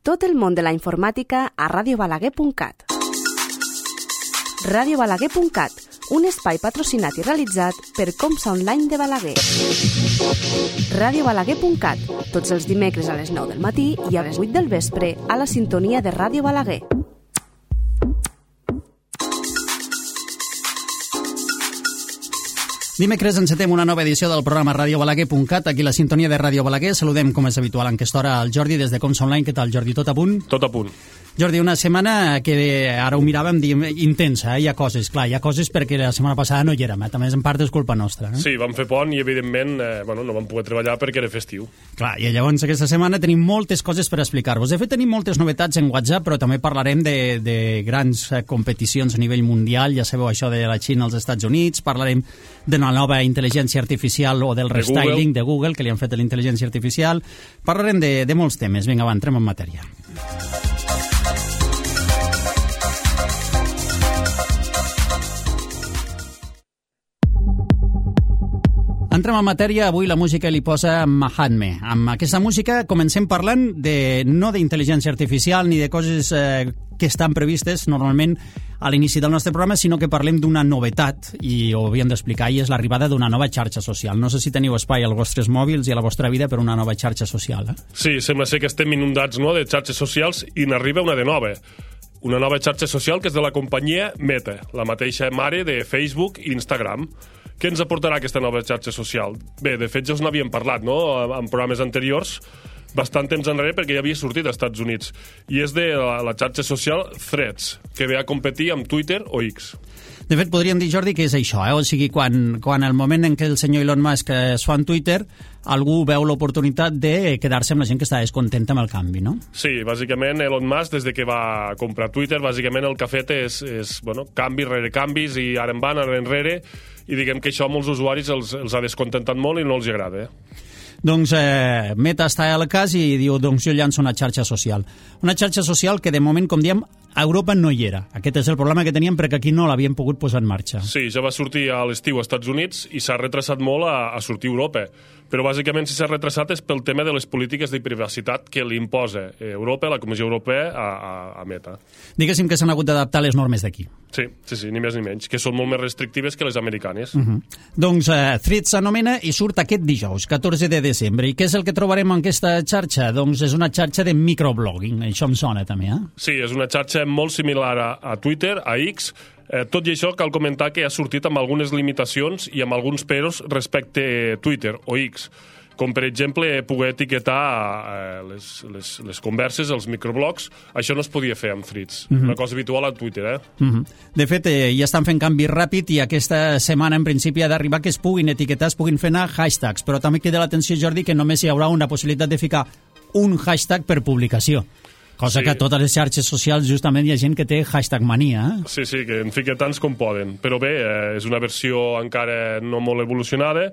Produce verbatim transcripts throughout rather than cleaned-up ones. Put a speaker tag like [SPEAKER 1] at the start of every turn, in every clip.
[SPEAKER 1] Tot el món de la informàtica a radio balaguer punt cat. radio balaguer punt cat, un espai patrocinat i realitzat per Comsa Online de Balaguer. radio balaguer punt cat, tots els dimecres a les nou del matí i a les vuit del vespre a la sintonia de Ràdio Balaguer.
[SPEAKER 2] Dimecres encetem una nova edició del programa radio balaguer punt cat, aquí la sintonia de Ràdio Balaguer. Saludem, com és habitual en aquesta hora, al Jordi des de Comsa Online. Què tal, Jordi? Tot a punt?
[SPEAKER 3] Tot a punt.
[SPEAKER 2] Jordi, una setmana que ara ho miràvem, diem, intensa, eh? Hi ha coses, clar, hi ha coses perquè la setmana passada no hi érem, eh? També en part és culpa nostra. Eh?
[SPEAKER 3] Sí, vam fer pont i, evidentment, eh, bueno, no vam poder treballar perquè era festiu.
[SPEAKER 2] Clar, i llavors aquesta setmana tenim moltes coses per explicar-vos. De fet, tenim moltes novetats en WhatsApp, però també parlarem de, de grans competicions a nivell mundial, ja sabeu això de la Xina als Estats Units, parlarem de la nova intel·ligència artificial o del restyling de Google, que li han fet a la intel·ligència artificial. Parlarem de, de molts temes. Vinga, va, entrem en matèria. Entrem en matèria, avui la música li posa Mahatme. Amb aquesta música comencem parlant de, no d'intel·ligència artificial ni de coses eh, que estan previstes normalment a l'inici del nostre programa, sinó que parlem d'una novetat, i ho havíem d'explicar, i és l'arribada d'una nova xarxa social. No sé si teniu espai als vostres mòbils i a la vostra vida per una nova xarxa social. Eh?
[SPEAKER 3] Sí, sembla ser que estem inundats, no?, de xarxes socials i n'arriba una de nova. Una nova xarxa social que és de la companyia Meta, la mateixa mare de Facebook i Instagram. Què ens aportarà aquesta nova xarxa social? Bé, de fet ja us n'havíem parlat, no?, en programes anteriors, bastant temps enrere, perquè ja havia sortit als Estats Units. I és de la, la xarxa social Threads, que ve a competir amb Twitter o X.
[SPEAKER 2] De fet, podríem dir, Jordi, que és això, eh? O sigui, quan, quan el moment en què el senyor Elon Musk es fa en Twitter, algú veu l'oportunitat de quedar-se amb la gent que està descontenta amb el canvi, no?
[SPEAKER 3] Sí, bàsicament Elon Musk, des de que va comprar Twitter, bàsicament el que ha fet és, és bueno, canvis rere canvis, i ara en van, ara enrere, i diguem que això a molts usuaris els, els ha descontentat molt i no els agrada, eh?
[SPEAKER 2] Doncs eh, Meta està al cas i diu, doncs jo llanço una xarxa social. Una xarxa social que de moment, com diem, a Europa no hi era. Aquest és el problema que teníem perquè aquí no l'havien pogut posar en marxa.
[SPEAKER 3] Sí, ja va sortir a l'estiu als Estats Units i s'ha retrasat molt a, a sortir a Europa. Però bàsicament si s'ha retrasat és pel tema de les polítiques de privacitat que li imposa Europa, la Comissió Europea, a, a, a Meta.
[SPEAKER 2] Diguéssim que s'han hagut d'adaptar les normes d'aquí.
[SPEAKER 3] Sí, sí, sí, ni més ni menys, que són molt més restrictives que les americanes.
[SPEAKER 2] Uh -huh. Doncs eh, Threads s'anomena i surt aquest dijous, catorze de desembre. I què és el que trobarem en aquesta xarxa? Doncs és una xarxa de microblogging. Això em sona també, eh?
[SPEAKER 3] Sí, és una xarxa molt similar a, a Twitter, a X. Eh, tot i això, cal comentar que ha sortit amb algunes limitacions i amb alguns peros respecte a Twitter o X, com per exemple poder etiquetar eh, les, les, les converses, els microblogs. Això no es podia fer amb Threads, uh-huh. Una cosa habitual a Twitter, eh?
[SPEAKER 2] Uh-huh. De fet, eh, ja estan fent canvi ràpid i aquesta setmana en principi ha d'arribar que es puguin etiquetar, es puguin fer anar hashtags, però també queda l'atenció, Jordi, que només hi haurà una possibilitat de ficar un hashtag per publicació. Cosa sí. Que a totes les xarxes socials justament hi ha gent que té hashtag mania. Eh?
[SPEAKER 3] Sí, sí, que en fica tants com poden. Però bé, eh, és una versió encara no molt evolucionada,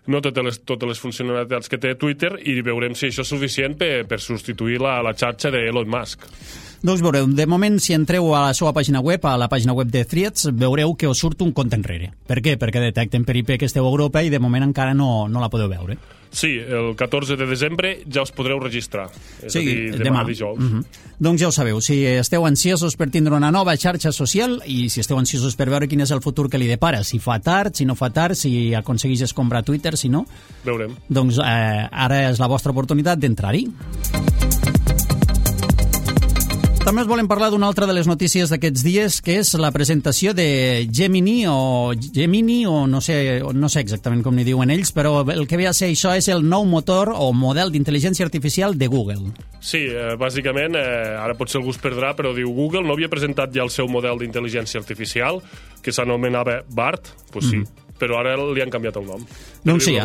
[SPEAKER 3] no totes les, totes les funcionalitats que té Twitter, i veurem si això és suficient per, per substituir la, la xarxa d'Elon Musk.
[SPEAKER 2] Doncs veureu, de moment, si entreu a la seva pàgina web, a la pàgina web de Threads, veureu que us surt un compte enrere. Per què? Perquè detecten per I P que esteu a Europa i de moment encara no, no la podeu veure.
[SPEAKER 3] Sí, el catorze de desembre ja us podreu registrar. És
[SPEAKER 2] sí,
[SPEAKER 3] a dir, demà,
[SPEAKER 2] demà.
[SPEAKER 3] dijous.
[SPEAKER 2] Uh -huh. Doncs ja ho sabeu, si esteu ansiosos per tindre una nova xarxa social i si esteu ansiosos per veure quin és el futur que li depara, si fa tard, si no fa tard, si aconseguís comprar Twitter, si no...
[SPEAKER 3] Veurem.
[SPEAKER 2] Doncs eh, ara és la vostra oportunitat d'entrar-hi. També us volem parlar d'una altra de les notícies d'aquests dies, que és la presentació de Gemini o Gemini, o no sé, no sé exactament com ni diuen ells, però el que ve a ser això és el nou motor o model d'intel·ligència artificial de Google.
[SPEAKER 3] Sí, eh, bàsicament, eh, ara potser algú es perdrà, però diu Google no havia presentat ja el seu model d'intel·ligència artificial, que s'anomenava BART? Doncs pues sí. Mm. Però ara li han canviat el nom.
[SPEAKER 2] Doncs sí, eh?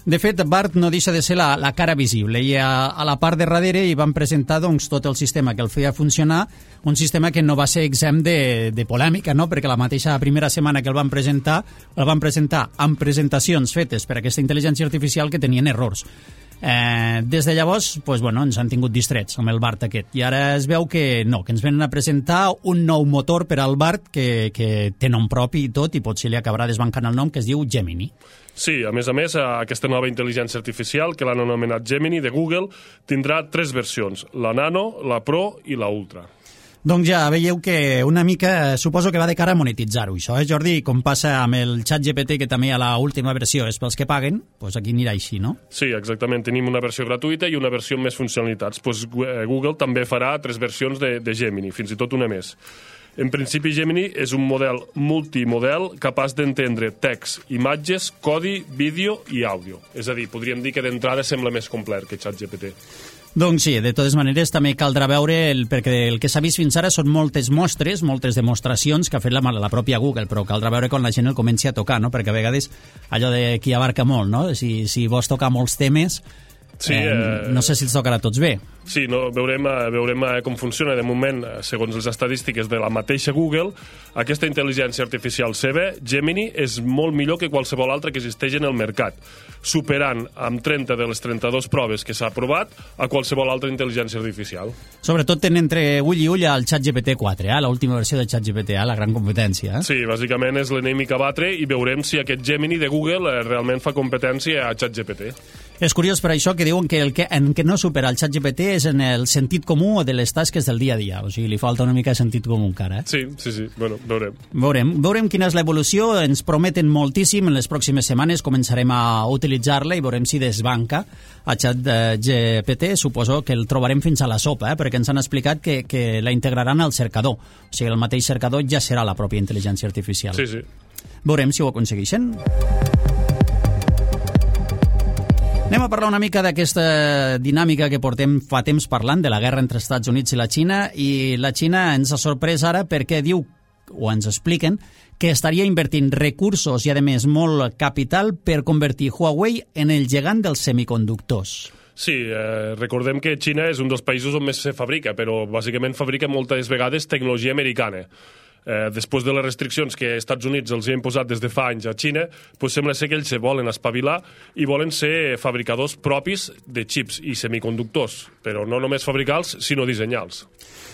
[SPEAKER 2] De fet, BART no deixa de ser la, la cara visible, i a, a la part de darrere hi van presentar doncs, tot el sistema que el feia funcionar, un sistema que no va ser exempt de, de polèmica, no? Perquè la mateixa primera setmana que el van presentar, el van presentar amb presentacions fetes per aquesta intel·ligència artificial que tenien errors. Eh, des de llavors, pues, bueno, ens han tingut distrets amb el BART aquest, i ara es veu que no, que ens venen a presentar un nou motor per al BART que, que té nom propi i tot, i potser li acabarà desbancant el nom, que es diu Gemini.
[SPEAKER 3] Sí, a més a més, aquesta nova intel·ligència artificial, que l'han anomenat Gemini, de Google, tindrà tres versions, la Nano, la Pro i la Ultra.
[SPEAKER 2] Doncs ja veieu que una mica, suposo que va de cara a monetitzar-ho, això, eh, Jordi? Com passa amb el ChatGPT, que també a la última versió és pels que paguen, doncs aquí anirà així, no?
[SPEAKER 3] Sí, exactament. Tenim una versió gratuïta i una versió amb més funcionalitats. Doncs Google també farà tres versions de, de Gemini, fins i tot una més. En principi, Gemini és un model multimodel capaç d'entendre text, imatges, codi, vídeo i àudio. És a dir, podríem dir que d'entrada sembla més complet que ChatGPT.
[SPEAKER 2] Doncs sí, de totes maneres també caldrà veure, el, perquè el que s'ha vist fins ara són moltes mostres, moltes demostracions que ha fet la, la pròpia Google, però caldrà veure quan la gent el comenci a tocar, no? Perquè a vegades allò de qui abarca molt, no? Si, si vols tocar molts temes, sí, eh, eh, no sé si els tocarà tots bé.
[SPEAKER 3] Sí, no, veurem, veurem com funciona. De moment, segons les estadístiques de la mateixa Google, aquesta intel·ligència artificial seva, Gemini, és molt millor que qualsevol altra que existeix en el mercat, superant amb trenta de les trenta-dues proves que s'ha aprovat a qualsevol altra intel·ligència artificial.
[SPEAKER 2] Sobretot tenen entre ull i ull al ChatGPT quatre, eh? L'última versió de ChatGPT, eh? La gran competència. Eh?
[SPEAKER 3] Sí, bàsicament és l'enemic a batre i veurem si aquest Gemini de Google realment fa competència a ChatGPT.
[SPEAKER 2] És curiós per això que diuen que el que, en què no supera el ChatGPT és en el sentit comú de les tasques del dia a dia. O sigui, li falta una mica de sentit comú encara. Eh?
[SPEAKER 3] Sí, sí, sí. Bueno, veurem.
[SPEAKER 2] Veurem. Veurem quina és l'evolució. Ens prometen moltíssim. En les pròximes setmanes començarem a utilitzar-la i veurem si desbanca a ChatGPT. Suposo que el trobarem fins a la sopa, eh? Perquè ens han explicat que, que la integraran al cercador. O sigui, el mateix cercador ja serà la pròpia intel·ligència artificial.
[SPEAKER 3] Sí, sí.
[SPEAKER 2] Veurem si ho aconsegueixen. Anem a parlar una mica d'aquesta dinàmica que portem fa temps parlant, de la guerra entre Estats Units i la Xina, i la Xina ens ha sorprès ara perquè diu, o ens expliquen, que estaria invertint recursos i, a més, molt capital per convertir Huawei en el gegant dels semiconductors.
[SPEAKER 3] Sí, eh, recordem que Xina és un dels països on més se fabrica, però bàsicament fabrica moltes vegades tecnologia americana. Eh, després de les restriccions que els Estats Units els han posat des de fa anys a Xina, pues sembla ser que ells se volen espavilar i volen ser fabricadors propis de xips i semiconductors, però no només fabricar-los, sinó dissenyar-los.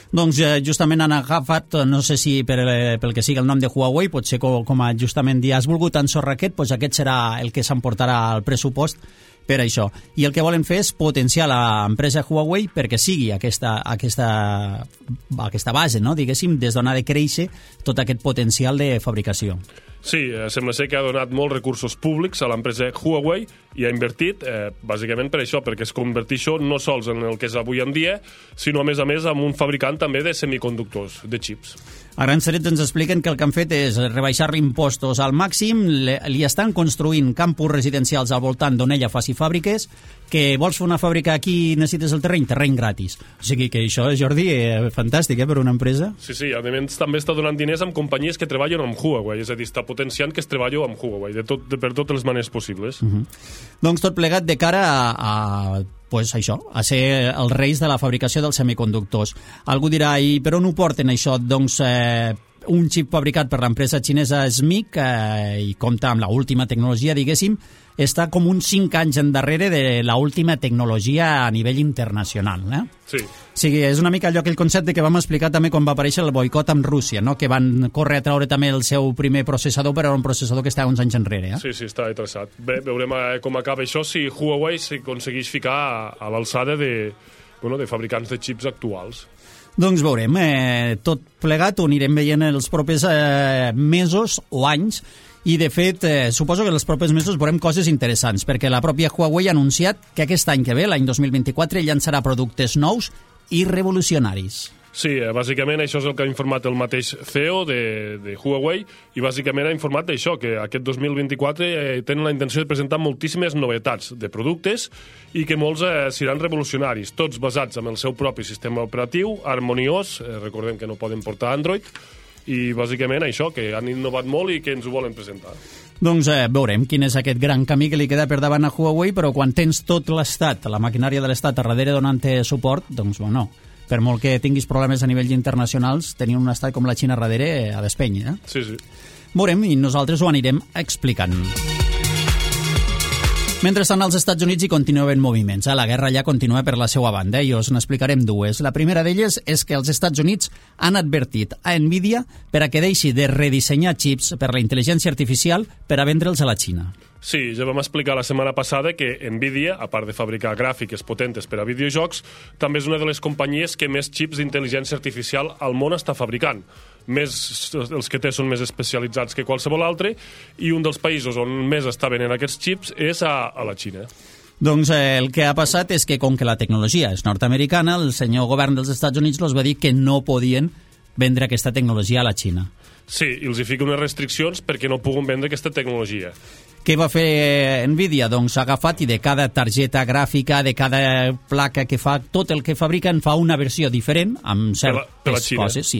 [SPEAKER 2] Doncs eh, justament han agafat, no sé si per, pel que sigui el nom de Huawei, potser com, com a justament ja has volgut ensorrar aquest, doncs aquest serà el que s'emportarà al pressupost per això. I el que volen fer és potenciar l'empresa Huawei perquè sigui aquesta, aquesta, aquesta base, no? Diguéssim, des d'on ha de créixer tot aquest potencial de fabricació.
[SPEAKER 3] Sí, eh, sembla ser que ha donat molts recursos públics a l'empresa Huawei i ha invertit, eh, bàsicament per això, perquè es converteix això no sols en el que és avui en dia, sinó a més a més en un fabricant també de semiconductors, de xips.
[SPEAKER 2] A grans trets ens expliquen que el que han fet és rebaixar-li impostos al màxim, li estan construint campus residencials al voltant d'on ella faci fàbriques, que vols fer una fàbrica aquí i necessites el terreny, terreny gratis. O sigui que això, Jordi, és fantàstic, eh, per una empresa.
[SPEAKER 3] Sí, sí, a més també està donant diners amb companyies que treballen amb Huawei, és a dir, està potenciant que es treballi amb Huawei, de tot, de, per totes les maneres possibles. Uh-huh.
[SPEAKER 2] Doncs tot plegat de cara a, a pues això, a ser els reis de la fabricació dels semiconductors. Algú dirà, i per on ho porten això? Doncs eh, un xip fabricat per l'empresa xinesa S M I C eh, i compta amb l'última tecnologia, diguéssim, està com uns cinc anys endarrere de l'última tecnologia a nivell internacional. Eh?
[SPEAKER 3] Sí.
[SPEAKER 2] O sigui, és una mica allò que el concepte que vam explicar també quan va aparèixer el boicot amb Rússia, no? Que van córrer a treure també el seu primer processador, però era un processador que estava uns anys enrere. Eh?
[SPEAKER 3] Sí, sí, està traçat. Bé, veurem com acaba això, si Huawei s'aconsegueix ficar a, a l'alçada de, bueno, de fabricants de xips actuals.
[SPEAKER 2] Doncs veurem, eh, tot plegat ho anirem veient els propers eh, mesos o anys, i de fet eh, suposo que els propers mesos veurem coses interessants, perquè la pròpia Huawei ha anunciat que aquest any que ve, l'any dos mil vint-i-quatre, llançarà productes nous i revolucionaris.
[SPEAKER 3] Sí, bàsicament això és el que ha informat el mateix C E O de, de Huawei, i bàsicament ha informat d'això, que aquest dos mil vint-i-quatre eh, tenen la intenció de presentar moltíssimes novetats de productes i que molts eh, seran revolucionaris, tots basats en el seu propi sistema operatiu, harmoniós, eh, recordem que no poden portar Android, i bàsicament això, que han innovat molt i que ens ho volen presentar.
[SPEAKER 2] Doncs eh, veurem quin és aquest gran camí que li queda per davant a Huawei, però quan tens tot l'Estat, la maquinària de l'Estat a darrere donant-te suport, doncs bueno, per molt que tinguis problemes a nivell internacionals, tenir un estat com la Xina darrere a despeny, eh?
[SPEAKER 3] Sí, sí.
[SPEAKER 2] Veurem i nosaltres ho anirem explicant. Mentrestant, als Estats Units hi continua havent moviments. La guerra allà continua per la seva banda i us n'explicarem dues. La primera d'elles és que els Estats Units han advertit a Nvidia per a que deixi de redissenyar xips per la intel·ligència artificial per a vendre'ls a la Xina.
[SPEAKER 3] Sí, ja vam explicar la setmana passada que Nvidia, a part de fabricar gràfiques potentes per a videojocs, també és una de les companyies que més xips d'intel·ligència artificial al món està fabricant. Més, els que té són més especialitzats que qualsevol altre, i un dels països on més està venent aquests xips és a, a la Xina.
[SPEAKER 2] Doncs eh, el que ha passat és que, com que la tecnologia és nord-americana, el senyor govern dels Estats Units els va dir que no podien vendre aquesta tecnologia a la Xina.
[SPEAKER 3] Sí, i els hi fica unes restriccions perquè no puguen vendre aquesta tecnologia.
[SPEAKER 2] Què va fer Nvidia? Doncs ha agafat i de cada targeta gràfica, de cada placa que fa, tot el que fabriquen fa una versió diferent amb certes
[SPEAKER 3] per la, per la
[SPEAKER 2] coses. Sí,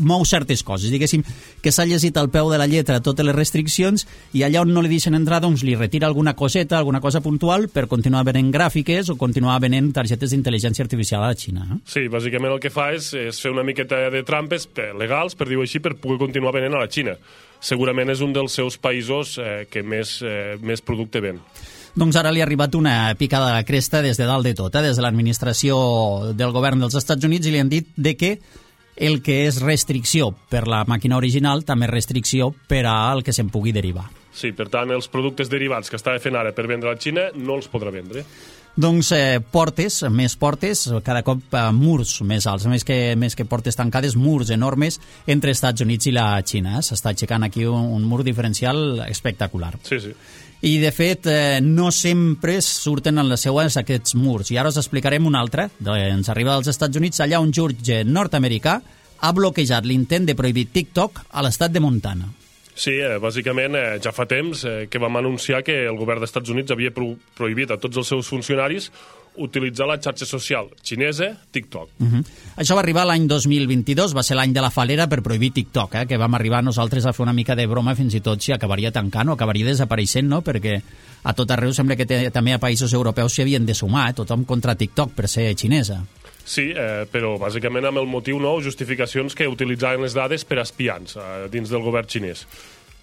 [SPEAKER 2] mou certes coses. Diguéssim que s'ha llegit al peu de la lletra totes les restriccions i allà on no li deixen entrar doncs li retira alguna coseta, alguna cosa puntual per continuar venent gràfiques o continuar venent targetes d'intel·ligència artificial a la Xina. Eh?
[SPEAKER 3] Sí, bàsicament el que fa és, és fer una miqueta de trampes legals, per dir-ho així, per poder continuar venent a la Xina. Segurament és un dels seus països eh, que més, eh, més producte ven.
[SPEAKER 2] Doncs ara li ha arribat una picada a la cresta des de dalt de tot, eh? Des de l'administració del govern dels Estats Units, i li han dit de que el que és restricció per la màquina original també és restricció per al que se'n pugui derivar.
[SPEAKER 3] Sí, per tant, els productes derivats que estava fent ara per vendre a la Xina no els podrà vendre.
[SPEAKER 2] Doncs eh, portes, més portes, cada cop eh, murs més alts, més que, més que portes tancades, murs enormes entre Estats Units i la Xina. S'està aixecant aquí un, un mur diferencial espectacular.
[SPEAKER 3] Sí, sí.
[SPEAKER 2] I, de fet, eh, no sempre surten en les seues aquests murs. I ara us explicarem un altre. Ens arriba dels Estats Units, allà un jutge nord-americà ha bloquejat l'intent de prohibir TikTok a l'estat de Montana.
[SPEAKER 3] Sí, eh, bàsicament eh, ja fa temps eh, que vam anunciar que el govern dels Estats Units havia pro prohibit a tots els seus funcionaris utilitzar la xarxa social xinesa TikTok. Uh
[SPEAKER 2] -huh. Això va arribar l'any dos mil vint-i-dos, va ser l'any de la falera per prohibir TikTok, eh, que vam arribar nosaltres a fer una mica de broma fins i tot si acabaria tancant o acabaria desapareixent, no? Perquè a tot arreu sembla que també a països europeus s'hi havien de sumar, eh, tothom contra TikTok per ser xinesa.
[SPEAKER 3] Sí, eh, però bàsicament amb el motiu nou, justificacions que utilitzaven les dades per espiants eh, dins del govern xinès.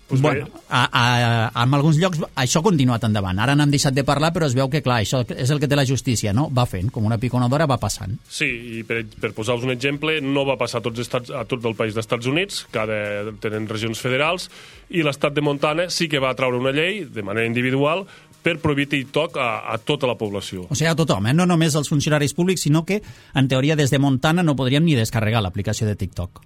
[SPEAKER 3] Pues
[SPEAKER 2] bueno, a, a, en alguns llocs això ha continuat endavant. Ara n'han deixat de parlar, però es veu que, clar, això és el que té la justícia, no? Va fent, com una piconadora va passant.
[SPEAKER 3] Sí, i per, per posar-vos un exemple, no va passar a, tots estats, a tot el país dels Estats Units, cada tenen regions federals, i l'estat de Montana sí que va traure una llei, de manera individual, per prohibir TikTok a, a tota la població.
[SPEAKER 2] O sigui, a tothom, eh? No només als funcionaris públics, sinó que, en teoria, des de Montana no podríem ni descarregar l'aplicació de TikTok.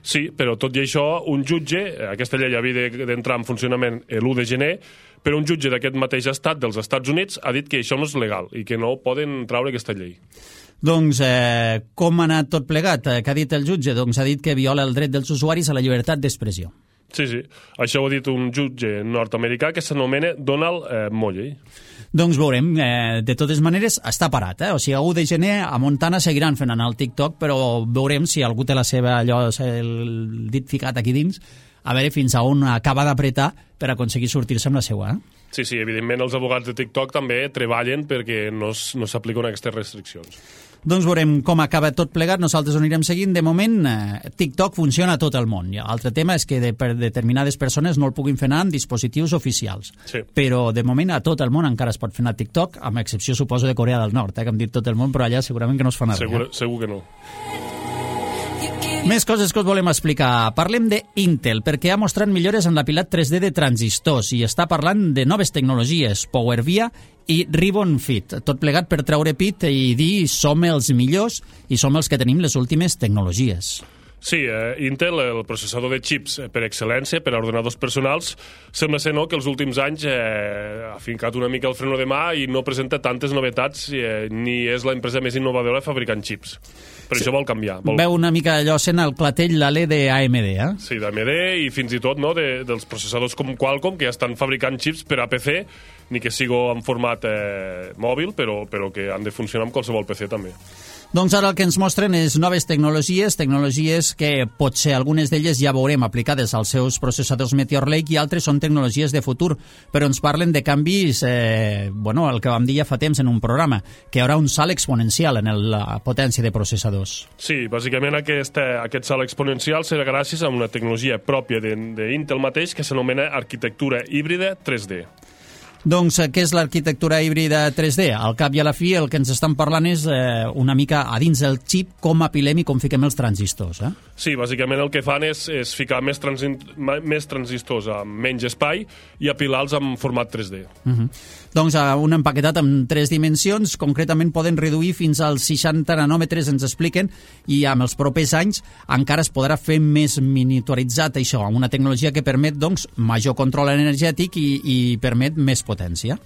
[SPEAKER 3] Sí, però tot i això, un jutge, aquesta llei havia d'entrar en funcionament l'u de gener, però un jutge d'aquest mateix estat, dels Estats Units, ha dit que això no és legal i que no poden traure aquesta llei.
[SPEAKER 2] Doncs eh, com ha anat tot plegat? Eh, què ha dit el jutge? Doncs ha dit que viola el dret dels usuaris a la llibertat d'expressió.
[SPEAKER 3] Sí, sí. Això ho ha dit un jutge nord-americà que s'anomena Donald eh, Molley.
[SPEAKER 2] Doncs veurem. Eh, de totes maneres, està parat, eh? O sigui, a u de gener a Montana seguiran fent anar el TikTok, però veurem si algú té la seva, allò, el dit ficat aquí dins, a veure fins a on acaba d'apretar per aconseguir sortir-se amb la seva. Eh?
[SPEAKER 3] Sí, sí, evidentment els abogats de TikTok també treballen perquè no, no s'apliquen aquestes restriccions.
[SPEAKER 2] Doncs veurem com acaba tot plegat, nosaltres ho anirem seguint. De moment, eh, TikTok funciona a tot el món. L'altre tema és que de, per determinades persones no el puguin fer anar en dispositius oficials.
[SPEAKER 3] Sí.
[SPEAKER 2] Però, de moment, a tot el món encara es pot fer anar TikTok, amb excepció, suposo, de Corea del Nord, eh, que hem dit tot el món, però allà segurament que no es fa anar
[SPEAKER 3] segur,
[SPEAKER 2] res.
[SPEAKER 3] Segur que no.
[SPEAKER 2] Més coses que us volem explicar. Parlem d'Intel, perquè ha mostrat millores en l'apilat tres D de transistors i està parlant de noves tecnologies, PowerVia i Ribbon Fit. Tot plegat per treure pit i dir som els millors i som els que tenim les últimes tecnologies.
[SPEAKER 3] Sí, eh, Intel, el processador de xips per excel·lència, per a ordenadors personals, sembla ser no, que els últims anys eh, ha fincat una mica el freno de mà i no presenta tantes novetats eh, ni és l'empresa més innovadora fabricant xips. Per sí. Això vol canviar. Vol...
[SPEAKER 2] Veu una mica allò sent el clatell l'alè d'A M D, eh?
[SPEAKER 3] Sí, d'A M D i fins i tot no, de, dels processadors com Qualcomm, que ja estan fabricant xips per a P C, ni que sigui en format eh, mòbil, però, però que han de funcionar amb qualsevol P C també.
[SPEAKER 2] Doncs ara el que ens mostren és noves tecnologies, tecnologies que potser algunes d'elles ja veurem aplicades als seus processadors Meteor Lake i altres són tecnologies de futur, però ens parlen de canvis, eh, bueno, el que vam dir ja fa temps en un programa, que hi haurà un salt exponencial en el, la potència de processadors.
[SPEAKER 3] Sí, bàsicament aquest, aquest salt exponencial serà gràcies a una tecnologia pròpia d'Intel mateix que s'anomena arquitectura híbrida tres D.
[SPEAKER 2] Doncs què és l'arquitectura híbrida tres D? Al cap i a la fi el que ens estan parlant és eh, una mica a dins del xip com apilem i com fiquem els transistors. Eh?
[SPEAKER 3] Sí, bàsicament el que fan és, és ficar més, transi més transistors amb menys espai i apilar-los en format tres D.
[SPEAKER 2] Uh-huh. Doncs uh, un empaquetat amb tres dimensions, concretament poden reduir fins als seixanta nanòmetres, ens expliquen, i amb els propers anys encara es podrà fer més miniaturitzat això, amb una tecnologia que permet doncs, major control energètic i, i permet més potència.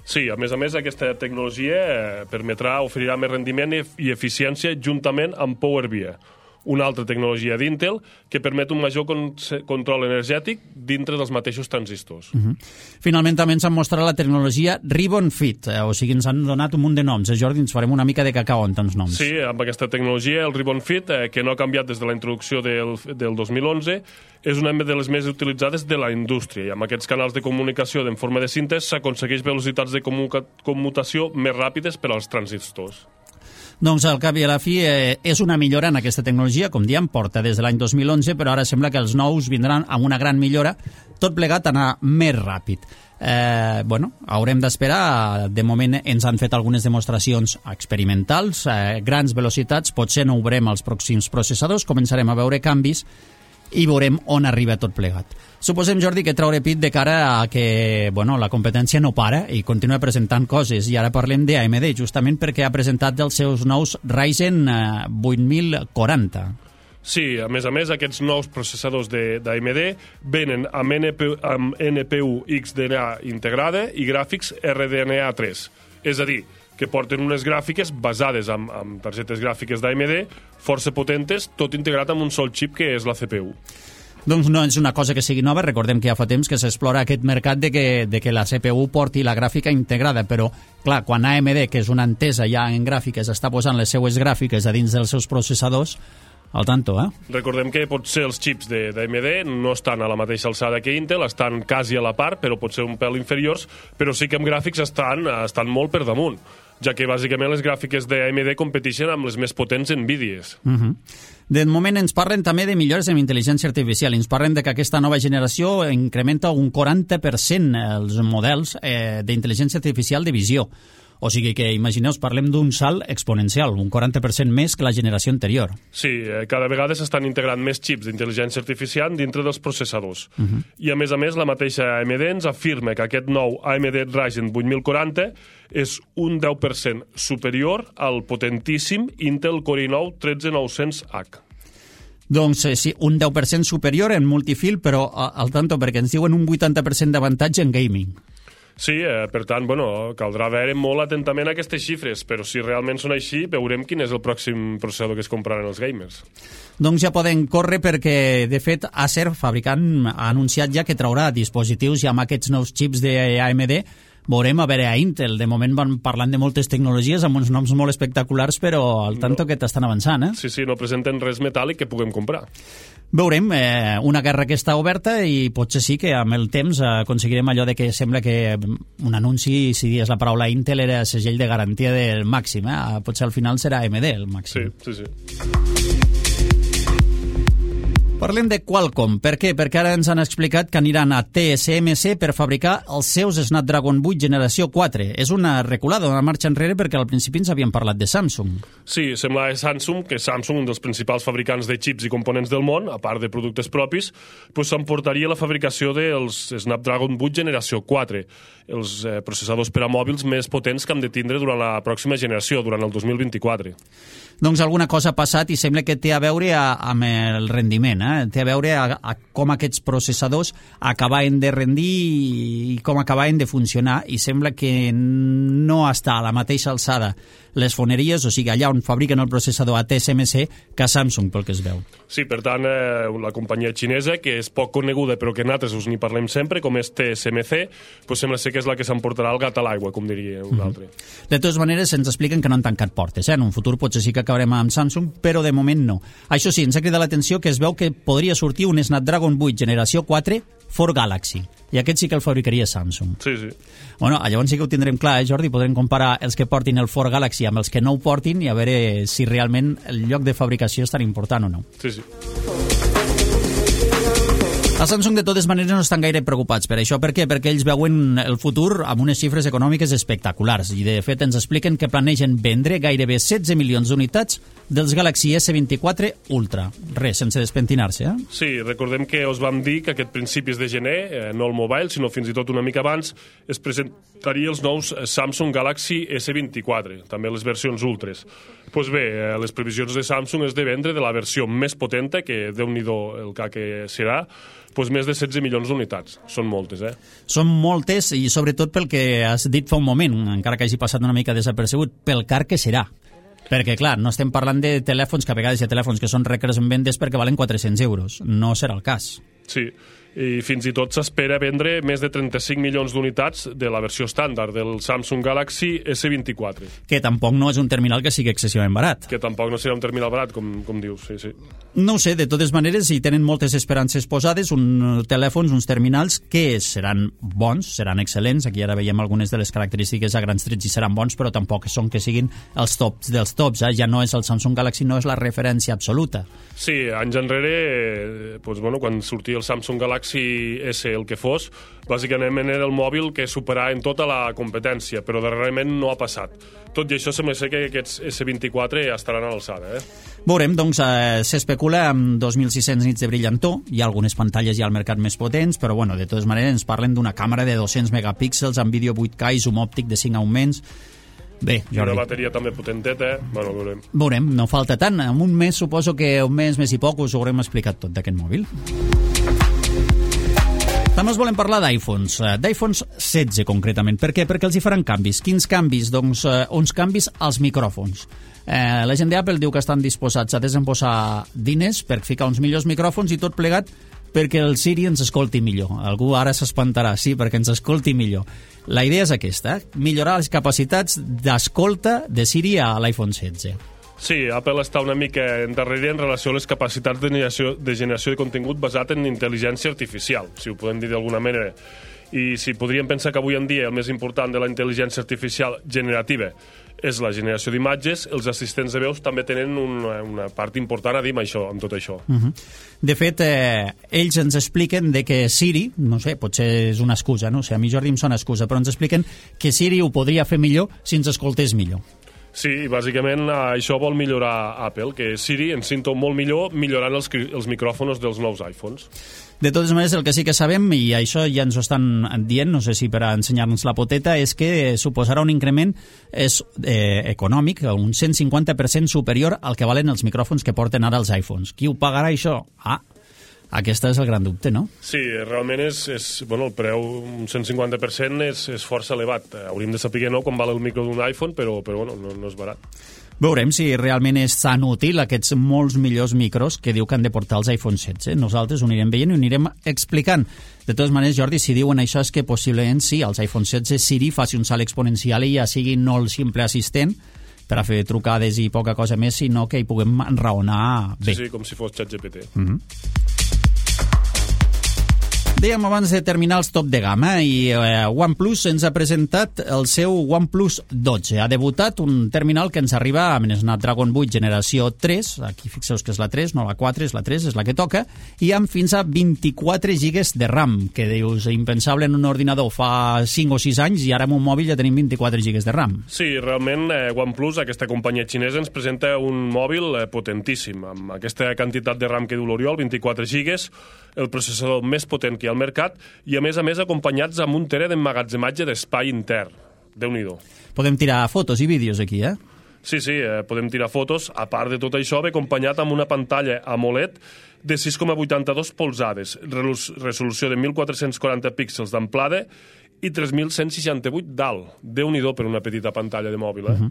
[SPEAKER 3] Sí, a més a més, aquesta tecnologia eh, permetrà, oferirà més rendiment i eficiència juntament amb PowerVia, una altra tecnologia d'Intel que permet un major con control energètic dintre dels mateixos transistors. Uh-huh.
[SPEAKER 2] Finalment també ens han mostrat la tecnologia Ribbon Fit, eh, o sigui, ens han donat un munt de noms. Eh, Jordi, ens farem una mica de cacau en tants noms.
[SPEAKER 3] Sí, amb aquesta tecnologia, el Ribbon Fit, eh, que no ha canviat des de la introducció del, del dos mil onze, és una de les més utilitzades de la indústria, i amb aquests canals de comunicació en forma de cintes s'aconsegueix velocitats de commutació més ràpides per als transistors.
[SPEAKER 2] Doncs al cap i a la fi eh, és una millora en aquesta tecnologia, com diem, porta des de l'any dos mil onze, però ara sembla que els nous vindran amb una gran millora, tot plegat a anar més ràpid. Eh, bueno, haurem d'esperar, de moment ens han fet algunes demostracions experimentals, eh, grans velocitats, potser no ho veurem als pròxims processadors, començarem a veure canvis i veurem on arriba tot plegat. Suposem, Jordi, que traure pit de cara a que bueno, la competència no para i continua presentant coses, i ara parlem d'A M D, justament perquè ha presentat els seus nous Ryzen eh, vuit mil quaranta.
[SPEAKER 3] Sí, a més a més, aquests nous processadors d'A M D venen amb, N P U, amb N P U X D N A integrada i gràfics R D N A tres, és a dir, que porten unes gràfiques basades en, en targetes gràfiques d'A M D força potentes, tot integrat amb un sol xip que és la C P U.
[SPEAKER 2] Doncs no és una cosa que sigui nova, recordem que ja fa temps que s'explora aquest mercat de que, de que la C P U porti la gràfica integrada, però clar, quan A M D, que és una entesa ja en gràfiques, està posant les seues gràfiques a dins dels seus processadors, al tanto, eh?
[SPEAKER 3] Recordem que potser els xips d'A M D no estan a la mateixa alçada que Intel, estan quasi a la part, però potser un pèl inferiors, però sí que amb gràfics estan, estan molt per damunt, ja que bàsicament les gràfiques d'A M D competeixen amb les més potents NVIDIAs.
[SPEAKER 2] Uh-huh. De moment ens parlen també de millores en intel·ligència artificial. Ens parlen de que aquesta nova generació incrementa un quaranta per cent els models eh, d'intel·ligència artificial de visió. O sigui que, imagineu, parlem d'un salt exponencial, un quaranta per cent més que la generació anterior.
[SPEAKER 3] Sí, eh, cada vegada s'estan integrant més xips d'intel·ligència artificial dintre dels processadors. Uh-huh. I a més a més, la mateixa A M D ens afirma que aquest nou A M D Ryzen vuit mil quaranta és un deu per cent superior al potentíssim Intel Core i nou tretze nou-cents H.
[SPEAKER 2] Doncs eh, sí, un deu per cent superior en multifil, però al tanto, perquè ens diuen un vuitanta per cent d'avantatge en gaming.
[SPEAKER 3] Sí, eh, per tant, bueno, caldrà veure molt atentament aquestes xifres, però si realment són així, veurem quin és el pròxim processador que es compraran els gamers.
[SPEAKER 2] Doncs ja poden córrer perquè, de fet, Acer, fabricant, ha anunciat ja que traurà dispositius ja amb aquests nous xips d'A M D. Veurem a veure a Intel. De moment van parlant de moltes tecnologies amb uns noms molt espectaculars, però al tanto no. que t'estan avançant, eh?
[SPEAKER 3] Sí, sí, no presenten res metàl·lic que puguem comprar.
[SPEAKER 2] Veurem, eh, una guerra que està oberta i potser sí que amb el temps aconseguirem allò de que sembla que un anunci, si dies la paraula Intel, era segell de garantia del màxim, eh? Potser al final serà A M D el màxim.
[SPEAKER 3] Sí, sí, sí.
[SPEAKER 2] Parlem de Qualcomm. Per què? Perquè ara ens han explicat que aniran a T S M C per fabricar els seus Snapdragon vuit generació quatre. És una reculada, una marxa enrere, perquè al principi ens havien parlat de Samsung.
[SPEAKER 3] Sí, sembla que Samsung, que Samsung, un dels principals fabricants de xips i components del món, a part de productes propis, pues s'emportaria la fabricació dels Snapdragon vuit generació quatre, els eh, processadors per a mòbils més potents que hem de tindre durant la pròxima generació, durant el dos mil vint-i-quatre.
[SPEAKER 2] Doncs alguna cosa ha passat i sembla que té a veure a, amb el rendiment, eh? Té a veure a, a com aquests processadors acabaven de rendir i com acabaven de funcionar, i sembla que no està a la mateixa alçada les foneries, o sigui, allà on fabriquen el processador a T S M C, que a Samsung, pel que es veu.
[SPEAKER 3] Sí, per tant, eh, la companyia xinesa, que és poc coneguda però que nosaltres us n'hi parlem sempre, com és T S M C, pues sembla ser que és la que s'emportarà el gat a l'aigua, com diria un mm-hmm. altre.
[SPEAKER 2] De totes maneres, ens expliquen que no han tancat portes, eh? En un futur potser sí que acabarem amb Samsung, però de moment no. Això sí, ens ha cridat l'atenció que es veu que podria sortir un Snapdragon vuit generació quatre for Galaxy, i aquest sí que el fabricaria Samsung.
[SPEAKER 3] Sí, sí.
[SPEAKER 2] Bueno, llavors sí que ho tindrem clar, eh, Jordi? Podrem comparar els que portin el for Galaxy amb els que no ho portin i a veure si realment el lloc de fabricació és tan important o no.
[SPEAKER 3] Sí, sí.
[SPEAKER 2] A Samsung, de totes maneres, no estan gaire preocupats per això. Per què? Perquè ells veuen el futur amb unes xifres econòmiques espectaculars i, de fet, ens expliquen que planegen vendre gairebé setze milions d'unitats dels Galaxy S vint-i-quatre Ultra. Res, sense despentinar-se, eh?
[SPEAKER 3] Sí, recordem que us vam dir que aquest principis de gener, eh, no el mobile, sinó fins i tot una mica abans, es presentaria els nous Samsung Galaxy S vint-i-quatre, també les versions Ultres. Doncs pues bé, eh, les previsions de Samsung és de vendre de la versió més potenta, que Déu-n'hi-do el que, que serà, pues més de setze milions d'unitats. Són moltes, eh?
[SPEAKER 2] Són moltes, i sobretot pel que has dit fa un moment, encara que hagi passat una mica desapercebut, pel car que serà. Perquè, clar, no estem parlant de telèfons, que a vegades hi ha telèfons que són requers en vendes perquè valen quatre-cents euros. No serà el cas.
[SPEAKER 3] Sí, i fins i tot s'espera vendre més de trenta-cinc milions d'unitats de la versió estàndard del Samsung Galaxy S vint-i-quatre.
[SPEAKER 2] Que tampoc no és un terminal que sigui excessivament barat.
[SPEAKER 3] Que tampoc no serà un terminal barat, com, com dius, sí, sí.
[SPEAKER 2] No ho sé, de totes maneres, hi tenen moltes esperances posades, uns telèfons, uns terminals que seran bons, seran excel·lents. Aquí ara veiem algunes de les característiques a grans trets i seran bons, però tampoc són que siguin els tops dels tops. Eh? Ja no és el Samsung Galaxy, no és la referència absoluta.
[SPEAKER 3] Sí, anys enrere, eh, doncs, bueno, quan sortia el Samsung Galaxy S, el que fos, bàsicament era el mòbil que superava en tota la competència, però darrerament no ha passat. Tot i això sembla ser que aquests S vint-i-quatre ja estaran a l'alçada, eh?
[SPEAKER 2] Veurem, doncs, eh, s'especula amb dos mil sis-cents nits de brillantor, hi ha algunes pantalles ja al mercat més potents, però bueno, de totes maneres ens parlen d'una càmera de dos-cents megapíxels amb vídeo vuit K i zoom òptic de cinc augments. Bé, Jordi.
[SPEAKER 3] I una bateria també potenteta, eh? Bueno, veurem.
[SPEAKER 2] Veurem, no falta tant. En un mes, suposo que un mes, mes i poc, us haurem explicat tot d'aquest mòbil. També us volem parlar d'iPhones, d'iPhones setze concretament. Per què? Perquè els hi faran canvis. Quins canvis? Doncs eh, uns canvis als micròfons. Eh, la gent d'Apple diu que estan disposats a desembossar diners per ficar uns millors micròfons i tot plegat perquè el Siri ens escolti millor. Algú ara s'espantarà, sí, perquè ens escolti millor. La idea és aquesta, eh? Millorar les capacitats d'escolta de Siri a l'iPhone setze.
[SPEAKER 3] Sí, Apple està una mica endarrere en relació a les capacitats de generació, de generació de contingut basat en intel·ligència artificial, si ho podem dir d'alguna manera. I si podríem pensar que avui en dia el més important de la intel·ligència artificial generativa és la generació d'imatges, els assistents de veus també tenen una, una part important a dir amb això, amb tot això.
[SPEAKER 2] Uh-huh. De fet, eh, ells ens expliquen de que Siri, no sé, potser és una excusa, no sé, a mi Jordi em sona excusa, però ens expliquen que Siri ho podria fer millor si ens escoltés millor.
[SPEAKER 3] Sí, bàsicament això vol millorar Apple, que Siri ens sento molt millor millorant els, els micròfons dels nous iPhones.
[SPEAKER 2] De totes maneres, el que sí que sabem, i això ja ens ho estan dient, no sé si per a ensenyar-nos la poteta, és que suposarà un increment és, eh, econòmic, un cent cinquanta per cent superior al que valen els micròfons que porten ara els iPhones. Qui ho pagarà, això? Ah, aquest és el gran dubte, no?
[SPEAKER 3] Sí, realment és, és bueno, el preu, un cent cinquanta per cent és, és força elevat. Hauríem de saber no, com val el micro d'un iPhone, però, però bueno, no, no és barat.
[SPEAKER 2] Veurem si realment és tan útil aquests molts millors micros que diu que han de portar els iPhone setze. Nosaltres ho anirem veient i ho anirem explicant. De totes maneres, Jordi, si diuen això és que possiblement sí, els iPhone setze Siri faci un salt exponencial i ja sigui no el simple assistent per a fer trucades i poca cosa més, sinó que hi puguem enraonar bé.
[SPEAKER 3] Sí, sí, com si fos ChatGPT.
[SPEAKER 2] Mm-hmm. Dèiem abans de terminar els top de gamma i eh, OnePlus ens ha presentat el seu OnePlus dotze. Ha debutat un terminal que ens arriba amb Snapdragon vuit generació tres, aquí fixeu que és la tres, no la quatre, és la tres, és la que toca, i amb fins a vint-i-quatre gigas de RAM, que dius impensable en un ordinador fa cinc o sis anys i ara en un mòbil ja tenim vint-i-quatre gigas de RAM.
[SPEAKER 3] Sí, realment eh, OnePlus, aquesta companyia xinesa, ens presenta un mòbil eh, potentíssim, amb aquesta quantitat de RAM que diu l'Oriol, vint-i-quatre gigas, el processador més potent que hi ha al mercat i, a més a més, acompanyats amb un tera d'emmagatzematge d'espai intern. Déu-n'hi-do.
[SPEAKER 2] Podem tirar fotos i vídeos aquí, eh?
[SPEAKER 3] Sí, sí, eh, podem tirar fotos. A part de tot això, ve acompanyat amb una pantalla AMOLED de sis coma vuitanta-dos polzades, resolució de mil quatre-cents quaranta píxels d'amplada i tres mil cent seixanta-vuit d'alt. Déu-n'hi-do per una petita pantalla de mòbil, eh? Uh-huh.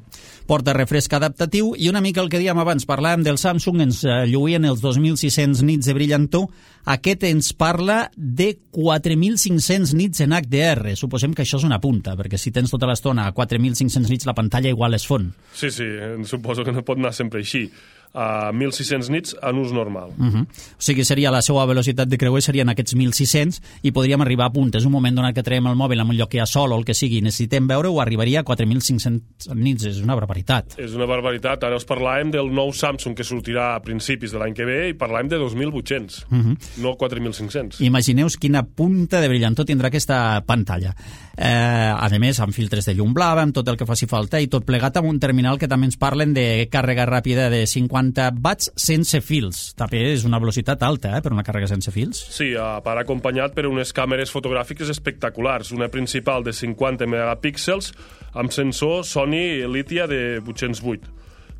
[SPEAKER 2] Porta refresc adaptatiu i una mica el que dèiem abans, parlàvem del Samsung, ens lluïen els dos mil sis-cents nits de brillantor. Aquest ens parla de quatre mil cinc-cents nits en H D R. Suposem que això és una punta, perquè si tens tota l'estona a quatre mil cinc-cents nits la pantalla igual es fon.
[SPEAKER 3] Sí, sí, suposo que no pot anar sempre així. a mil sis-cents nits en ús normal.
[SPEAKER 2] Uh -huh. O sigui, seria la seva velocitat de creuer serien aquests mil sis-cents i podríem arribar a puntes. Un moment donat que traiem el mòbil en un lloc que hi ha sol o el que sigui, necessitem veure-ho, arribaria a quatre mil cinc-cents nits. És una barbaritat.
[SPEAKER 3] És una barbaritat. Ara us parlàvem del nou Samsung que sortirà a principis de l'any que ve i parlàvem de dos mil vuit-cents, uh -huh. no quatre mil cinc-cents.
[SPEAKER 2] Imagineu quina punta de brillantor tindrà aquesta pantalla. Eh, a més, amb filtres de llum blava, amb tot el que faci falta i tot plegat amb un terminal que també ens parlen de càrrega ràpida de cinquanta watts sense fils. També és una velocitat alta, eh, per una càrrega sense fils.
[SPEAKER 3] Sí, a part acompanyat per unes càmeres fotogràfiques espectaculars. Una principal de cinquanta megapíxels amb sensor Sony Lithia de vuit-cents vuit.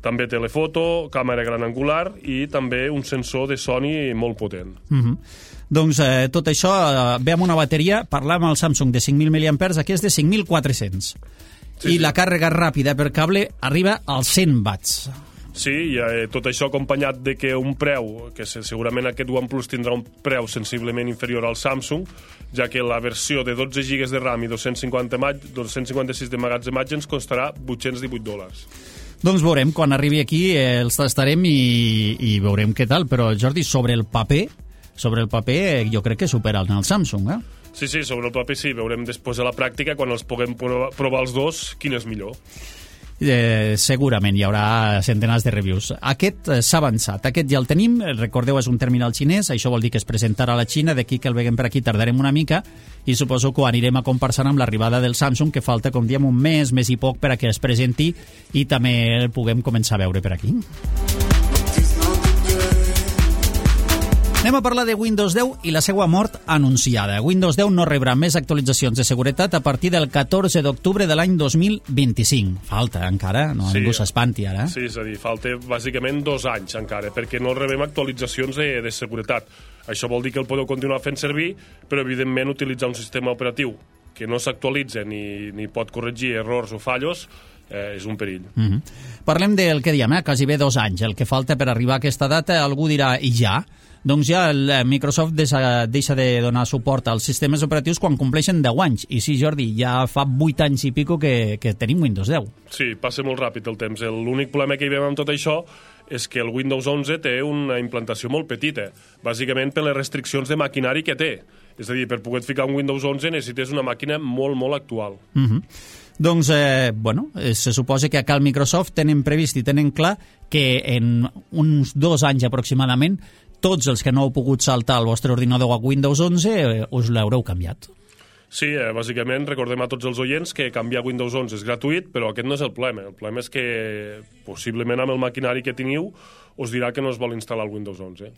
[SPEAKER 3] També telefoto, càmera gran angular i també un sensor de Sony molt potent.
[SPEAKER 2] Uh -huh. Doncs eh, tot això, eh, ve amb una bateria, parlàvem al Samsung de cinc mil miliampers, aquí és de cinc mil quatre-cents. Sí, I sí. La càrrega ràpida per cable arriba als cent watts.
[SPEAKER 3] Sí, i eh, tot això acompanyat de que un preu, que segurament aquest OnePlus tindrà un preu sensiblement inferior al Samsung, ja que la versió de dotze gigas de RAM i dos-cents cinquanta-sis de magatzematge ens costarà vuit-cents divuit dòlars.
[SPEAKER 2] Doncs veurem, quan arribi aquí eh, els tastarem i, i veurem què tal, però Jordi, sobre el paper, sobre el paper eh, jo crec que supera el Samsung, eh?
[SPEAKER 3] Sí, sí, sobre el paper sí, veurem després de la pràctica, quan els puguem provar, provar els dos, quin és millor.
[SPEAKER 2] Eh, segurament hi haurà centenars de reviews. Aquest eh, s'ha avançat, aquest ja el tenim, recordeu, és un terminal xinès, això vol dir que es presentarà a la Xina, d'aquí que el veiem per aquí tardarem una mica i suposo que ho anirem a comparsar amb l'arribada del Samsung, que falta, com diem, un mes, mes i poc per a que es presenti i també el puguem començar a veure per aquí. Anem a parlar de Windows deu i la seva mort anunciada. Windows deu no rebrà més actualitzacions de seguretat a partir del catorze d'octubre de l'any dos mil vint-i-cinc. Falta encara, no
[SPEAKER 3] sí,
[SPEAKER 2] ningú s'espanti ara.
[SPEAKER 3] Sí, és a dir, falta bàsicament dos anys encara, perquè no rebem actualitzacions de, de seguretat. Això vol dir que el podeu continuar fent servir, però evidentment utilitzar un sistema operatiu que no s'actualitza ni, ni pot corregir errors o fallos eh, és un perill.
[SPEAKER 2] Mm-hmm. Parlem del que diem, eh? Quasi bé dos anys. El que falta per arribar a aquesta data, algú dirà, i ja? Doncs ja el Microsoft deixa, deixa de donar suport als sistemes operatius quan compleixen deu anys. I sí, Jordi, ja fa vuit anys i pico que, que tenim Windows deu.
[SPEAKER 3] Sí, passa molt ràpid el temps. L'únic problema que hi veiem amb tot això és que el Windows onze té una implantació molt petita, bàsicament per les restriccions de maquinari que té. És a dir, per poder ficar un Windows onze necessites una màquina molt, molt actual.
[SPEAKER 2] Mm-hmm. Doncs, eh, bueno, se suposa que acá al Microsoft tenen previst i tenen clar que en uns dos anys aproximadament tots els que no heu pogut saltar el vostre ordinador a Windows onze eh, us l'haureu canviat.
[SPEAKER 3] Sí, eh, bàsicament recordem a tots els oients que canviar Windows onze és gratuït, però aquest no és el problema. El problema és que possiblement amb el maquinari que teniu us dirà que no es vol instal·lar el Windows onze.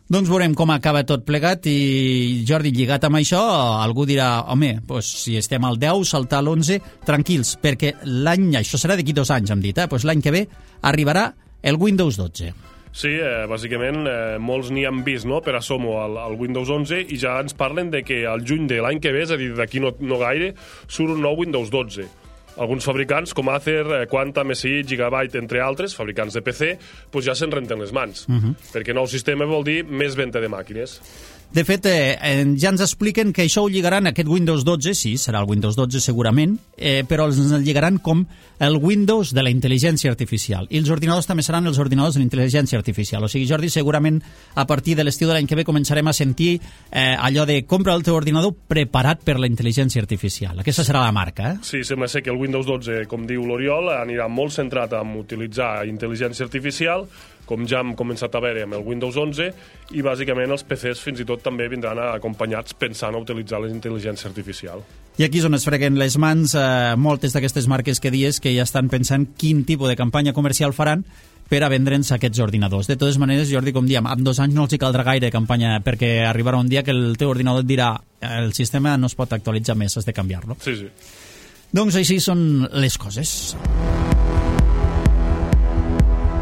[SPEAKER 2] Doncs veurem com acaba tot plegat i, Jordi, lligat amb això, algú dirà, home, doncs, si estem al deu, saltar a l'onze, tranquils, perquè l'any, això serà d'aquí dos anys, hem dit, eh? Doncs l'any que ve arribarà el Windows dotze.
[SPEAKER 3] Sí, eh, bàsicament eh, molts n'hi han vist, no?, per assomo al, al Windows onze i ja ens parlen de que al juny de l'any que ve, és a dir, d'aquí no, no gaire, surt un nou Windows dotze. Alguns fabricants, com Acer, eh, Quantum, S I, Gigabyte, entre altres, fabricants de P C, doncs ja se'n renten les mans, uh-huh. perquè nou sistema vol dir més venda de màquines.
[SPEAKER 2] De fet, eh, ja ens expliquen que això ho lligaran, aquest Windows dotze, sí, serà el Windows dotze segurament, eh, però els lligaran com el Windows de la intel·ligència artificial. I els ordinadors també seran els ordinadors de la intel·ligència artificial. O sigui, Jordi, segurament a partir de l'estiu de l'any que ve començarem a sentir eh, allò de compra el teu ordinador preparat per la intel·ligència artificial. Aquesta serà la marca, eh?
[SPEAKER 3] Sí, sembla ser que el Windows dotze, com diu l'Oriol, anirà molt centrat en utilitzar intel·ligència artificial, com ja hem començat a veure amb el Windows onze, i bàsicament els P Cs fins i tot també vindran acompanyats pensant a utilitzar la intel·ligència artificial.
[SPEAKER 2] I aquí és on es freguen les mans eh, moltes d'aquestes marques que dies que ja estan pensant quin tipus de campanya comercial faran per a vendre'ns aquests ordinadors. De totes maneres, Jordi, com diem, en dos anys no els hi caldrà gaire campanya, perquè arribarà un dia que el teu ordinador et dirà el sistema no es pot actualitzar més, has de canviar-lo.
[SPEAKER 3] Sí, sí.
[SPEAKER 2] Doncs així són les coses.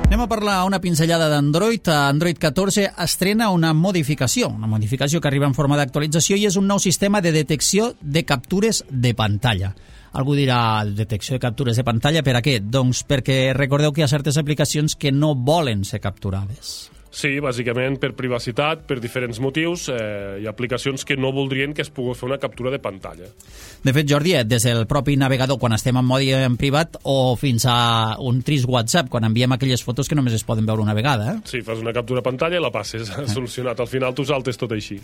[SPEAKER 2] Anem a parlar una pinzellada d'Android. Android catorze estrena una modificació, una modificació que arriba en forma d'actualització i és un nou sistema de detecció de captures de pantalla. Algú dirà, detecció de captures de pantalla, per a què? Doncs perquè recordeu que hi ha certes aplicacions que no volen ser capturades.
[SPEAKER 3] Sí, bàsicament per privacitat, per diferents motius. Eh, hi ha aplicacions que no voldrien que es pogués fer una captura de pantalla.
[SPEAKER 2] De fet, Jordi, des del propi navegador, quan estem en modi en privat, o fins a un trist WhatsApp, quan enviem aquelles fotos que només es poden veure una vegada. Eh?
[SPEAKER 3] Sí, fas una captura de pantalla i la passes, eh? solucionat. Al final tu saltes tot així.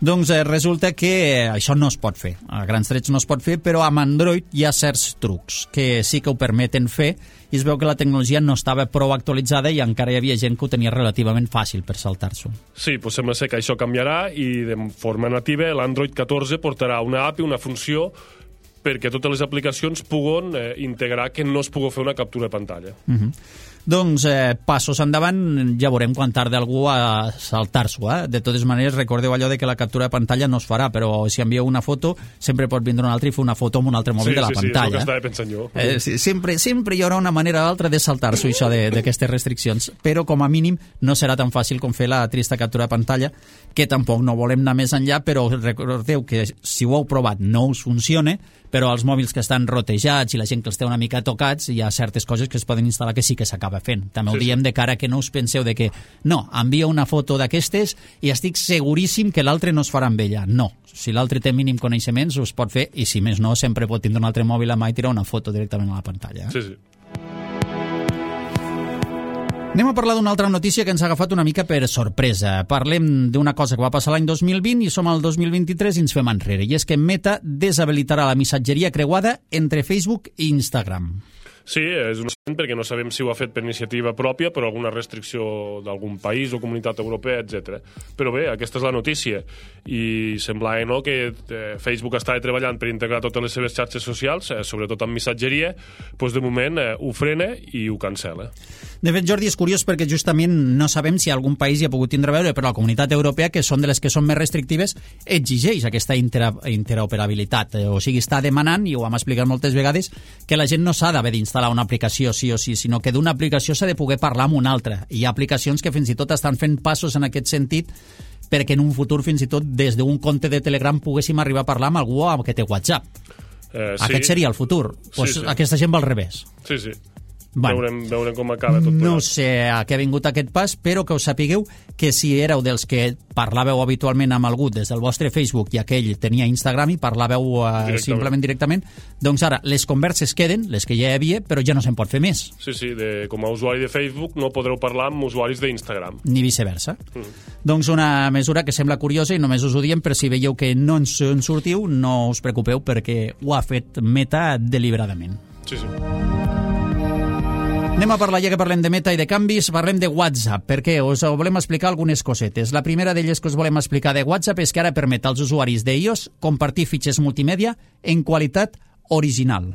[SPEAKER 2] Doncs eh, resulta que això no es pot fer. A grans trets no es pot fer, però amb Android hi ha certs trucs que sí que ho permeten fer, i es veu que la tecnologia no estava prou actualitzada i encara hi havia gent que ho tenia relativament fàcil per saltar-s'ho.
[SPEAKER 3] Sí, doncs sembla ser que això canviarà i de forma nativa l'Android catorze portarà una app i una funció perquè totes les aplicacions puguen eh, integrar que no es pugui fer una captura de pantalla.
[SPEAKER 2] Uh-huh. Doncs eh, passos endavant, ja veurem quan tarda algú a saltar-s'ho. Eh? De totes maneres, recordeu allò de que la captura de pantalla no es farà, però si envieu una foto, sempre pot vindre un altre i fer una foto amb un altre mòbil
[SPEAKER 3] sí,
[SPEAKER 2] de la
[SPEAKER 3] sí,
[SPEAKER 2] pantalla.
[SPEAKER 3] Sí, sí, és el que estava pensant jo.
[SPEAKER 2] Eh, sí, sempre, sempre hi haurà una manera o altra de saltar-s'ho, això d'aquestes restriccions, però com a mínim no serà tan fàcil com fer la trista captura de pantalla, que tampoc no volem anar més enllà, però recordeu que si ho heu provat no us funciona, però els mòbils que estan rotejats i la gent que els té una mica tocats, hi ha certes coses que es poden instal·lar que sí que s'acaba fent. També ho
[SPEAKER 3] sí,
[SPEAKER 2] diem
[SPEAKER 3] sí.
[SPEAKER 2] de cara que no us penseu de que no, envia una foto d'aquestes i estic seguríssim que l'altre no es farà amb ella. No, si l'altre té mínim coneixements us pot fer, i si més no, sempre pot tindre un altre mòbil a mà i tirar una foto directament a la pantalla. Eh?
[SPEAKER 3] Sí, sí.
[SPEAKER 2] Anem a parlar d'una altra notícia que ens ha agafat una mica per sorpresa. Parlem d'una cosa que va passar l'any dos mil vint i som al dos mil vint-i-tres i ens fem enrere. I és que Meta deshabilitarà la missatgeria creuada entre Facebook i Instagram.
[SPEAKER 3] Sí, és un accident perquè no sabem si ho ha fet per iniciativa pròpia, per alguna restricció d'algun país o comunitat europea, etcètera. Però bé, aquesta és la notícia. I semblava no, que eh, Facebook estava treballant per integrar totes les seves xarxes socials, eh, sobretot amb missatgeria, doncs de moment eh, ho frena i ho cancela.
[SPEAKER 2] De fet, Jordi, és curiós perquè justament no sabem si algun país hi ha pogut tindre a veure, però la comunitat europea, que són de les que són més restrictives, exigeix aquesta intera interoperabilitat. O sigui, està demanant, i ho hem explicat moltes vegades, que la gent no s'ha d'haver d'instal·lar una aplicació sí o sí, sinó que d'una aplicació s'ha de poder parlar amb una altra. Hi ha aplicacions que fins i tot estan fent passos en aquest sentit perquè en un futur fins i tot des d'un compte de Telegram poguéssim arribar a parlar amb algú que té WhatsApp.
[SPEAKER 3] Eh, sí.
[SPEAKER 2] Aquest seria el futur. Pues
[SPEAKER 3] sí, sí.
[SPEAKER 2] Aquesta gent va al revés.
[SPEAKER 3] Sí, sí.
[SPEAKER 2] Bueno,
[SPEAKER 3] veurem, veurem com acaba tot plegat.
[SPEAKER 2] No sé a què ha vingut aquest pas, però que us sapigueu que si éreu dels que parlàveu habitualment amb algú des del vostre Facebook i aquell tenia Instagram i parlàveu uh, directament. simplement directament, doncs ara les converses queden, les que ja hi havia, però ja no se'n pot fer més.
[SPEAKER 3] Sí, sí, de, com a usuari de Facebook no podreu parlar amb usuaris d'Instagram.
[SPEAKER 2] Ni viceversa.
[SPEAKER 3] Mm.
[SPEAKER 2] Doncs una mesura que sembla curiosa i només us ho diem, però si veieu que no ens en sortiu, no us preocupeu perquè ho ha fet Meta deliberadament.
[SPEAKER 3] Sí, sí.
[SPEAKER 2] Anem a parlar, ja que parlem de Meta i de canvis, parlem de WhatsApp, perquè us volem explicar algunes cosetes. La primera d'elles que us volem explicar de WhatsApp és que ara permet als usuaris d'iOS compartir fitxers multimèdia en qualitat original.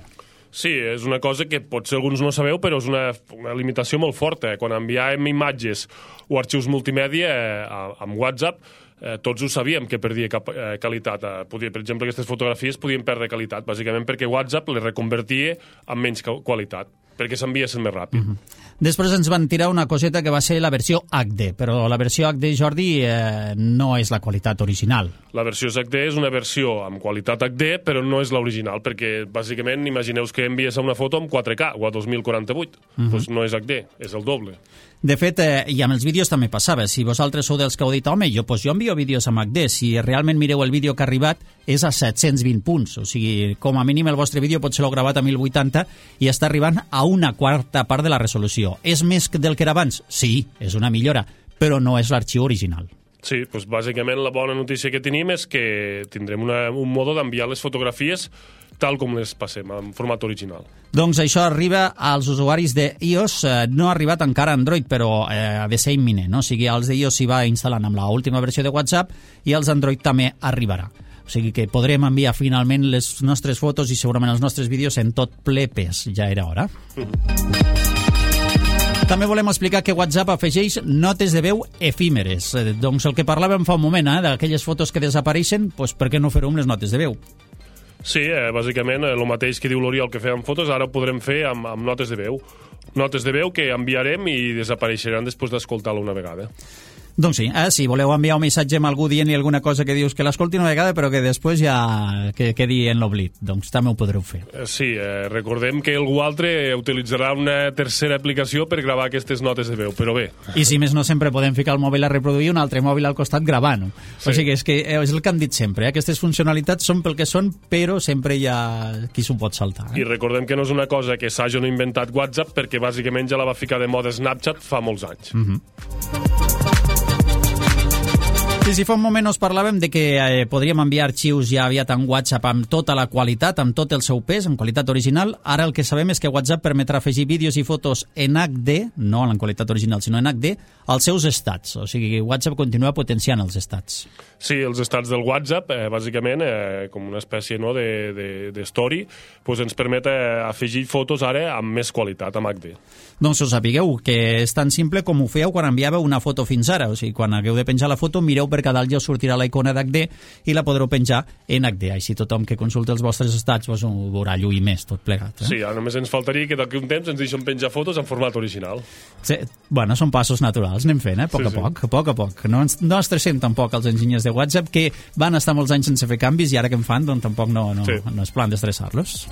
[SPEAKER 3] Sí, és una cosa que potser alguns no sabeu, però és una, una limitació molt forta. Quan enviàvem imatges o arxius multimèdia eh, amb WhatsApp, eh, tots ho sabíem que perdia cap, eh, qualitat. Eh, podia, per exemple, aquestes fotografies podien perdre qualitat, bàsicament perquè WhatsApp les reconvertia en menys qualitat, perquè s'enviessin més ràpid.
[SPEAKER 2] Uh-huh. Després ens van tirar una coseta que va ser la versió H D, però la versió H D, Jordi, eh, no és la qualitat original.
[SPEAKER 3] La versió H D és una versió amb qualitat H D, però no és l'original, perquè bàsicament imagineu que envies una foto amb quatre K o a dos mil quaranta-vuit. Uh-huh. Doncs no és H D, és el doble.
[SPEAKER 2] De fet, eh, i amb els vídeos també passava. Si vosaltres sou dels que heu dit, home, jo, pues jo envio vídeos amb H D, si realment mireu el vídeo que ha arribat, és a set-cents vint punts. O sigui, com a mínim el vostre vídeo pot ser-lo gravat a mil vuitanta i està arribant a una quarta part de la resolució. És més del que era abans? Sí, és una millora, però no és l'arxiu original.
[SPEAKER 3] Sí, doncs bàsicament la bona notícia que tenim és que tindrem una, un modo d'enviar les fotografies tal com les passem, en format original.
[SPEAKER 2] Doncs això arriba als usuaris d'iOS, eh, no ha arribat encara a Android, però eh, ha de ser imminent, no? O sigui, els d'iOS s'hi va instal·lant amb l'última versió de WhatsApp i els Android també arribarà. O sigui que podrem enviar finalment les nostres fotos i segurament els nostres vídeos en tot ple pes. Ja era hora. Mm. També volem explicar que WhatsApp afegeix notes de veu efímeres. Eh, doncs el que parlàvem fa un moment, eh, d'aquelles fotos que desapareixen, doncs per què no fer-ho amb les notes de veu?
[SPEAKER 3] Sí, eh, bàsicament el mateix que diu l'Oriol que fèiem fotos, ara ho podrem fer amb, amb notes de veu. Notes de veu que enviarem i desapareixeran després d'escoltar-la una vegada.
[SPEAKER 2] Doncs sí, eh, si voleu enviar un missatge amb algú dient-li alguna cosa que dius que l'escolti una vegada però que després ja que quedi en l'oblit, doncs també ho podreu fer.
[SPEAKER 3] Sí, eh, recordem que algú altre utilitzarà una tercera aplicació per gravar aquestes notes de veu, però bé.
[SPEAKER 2] I si més no, sempre podem ficar el mòbil a reproduir un altre mòbil al costat gravant-ho. Sí. O sigui, és que és el que han dit sempre, eh? Aquestes funcionalitats són pel que són, però sempre hi ha qui s'ho pot saltar. Eh?
[SPEAKER 3] I recordem que no és una cosa que s'hagi inventat WhatsApp, perquè bàsicament ja la va ficar de moda Snapchat fa molts anys.
[SPEAKER 2] Mhm. Sí, sí, fa un moment us parlàvem de que eh, podríem enviar arxius ja aviat en WhatsApp amb tota la qualitat, amb tot el seu pes, en qualitat original. Ara el que sabem és que WhatsApp permetrà afegir vídeos i fotos en H D, no en qualitat original, sinó en H D, als seus estats. O sigui, WhatsApp continua potenciant els estats.
[SPEAKER 3] Sí, els estats del WhatsApp, eh, bàsicament, eh, com una espècie no, de, de, de story, pues ens permet eh, afegir fotos ara amb més qualitat, amb H D.
[SPEAKER 2] Doncs us sapigueu que és tan simple com ho fèieu quan enviàveu una foto fins ara. O sigui, quan hagueu de penjar la foto, mireu per cada dalt ja us sortirà la icona d'H D i la podreu penjar en H D. Així tothom que consulti els vostres estats pues, ho veurà lluir més, tot plegat. Eh?
[SPEAKER 3] Sí, ara només ens faltaria que d'aquí un temps ens deixen penjar fotos en format original.
[SPEAKER 2] Sí, bueno, són passos naturals, anem fent, eh? A poc sí, a poc, sí. a poc a poc. No ens, no estressem tampoc els enginyers de WhatsApp, que van estar molts anys sense fer canvis i ara que en fan, doncs tampoc no, no, sí. no és plan d'estressar-los.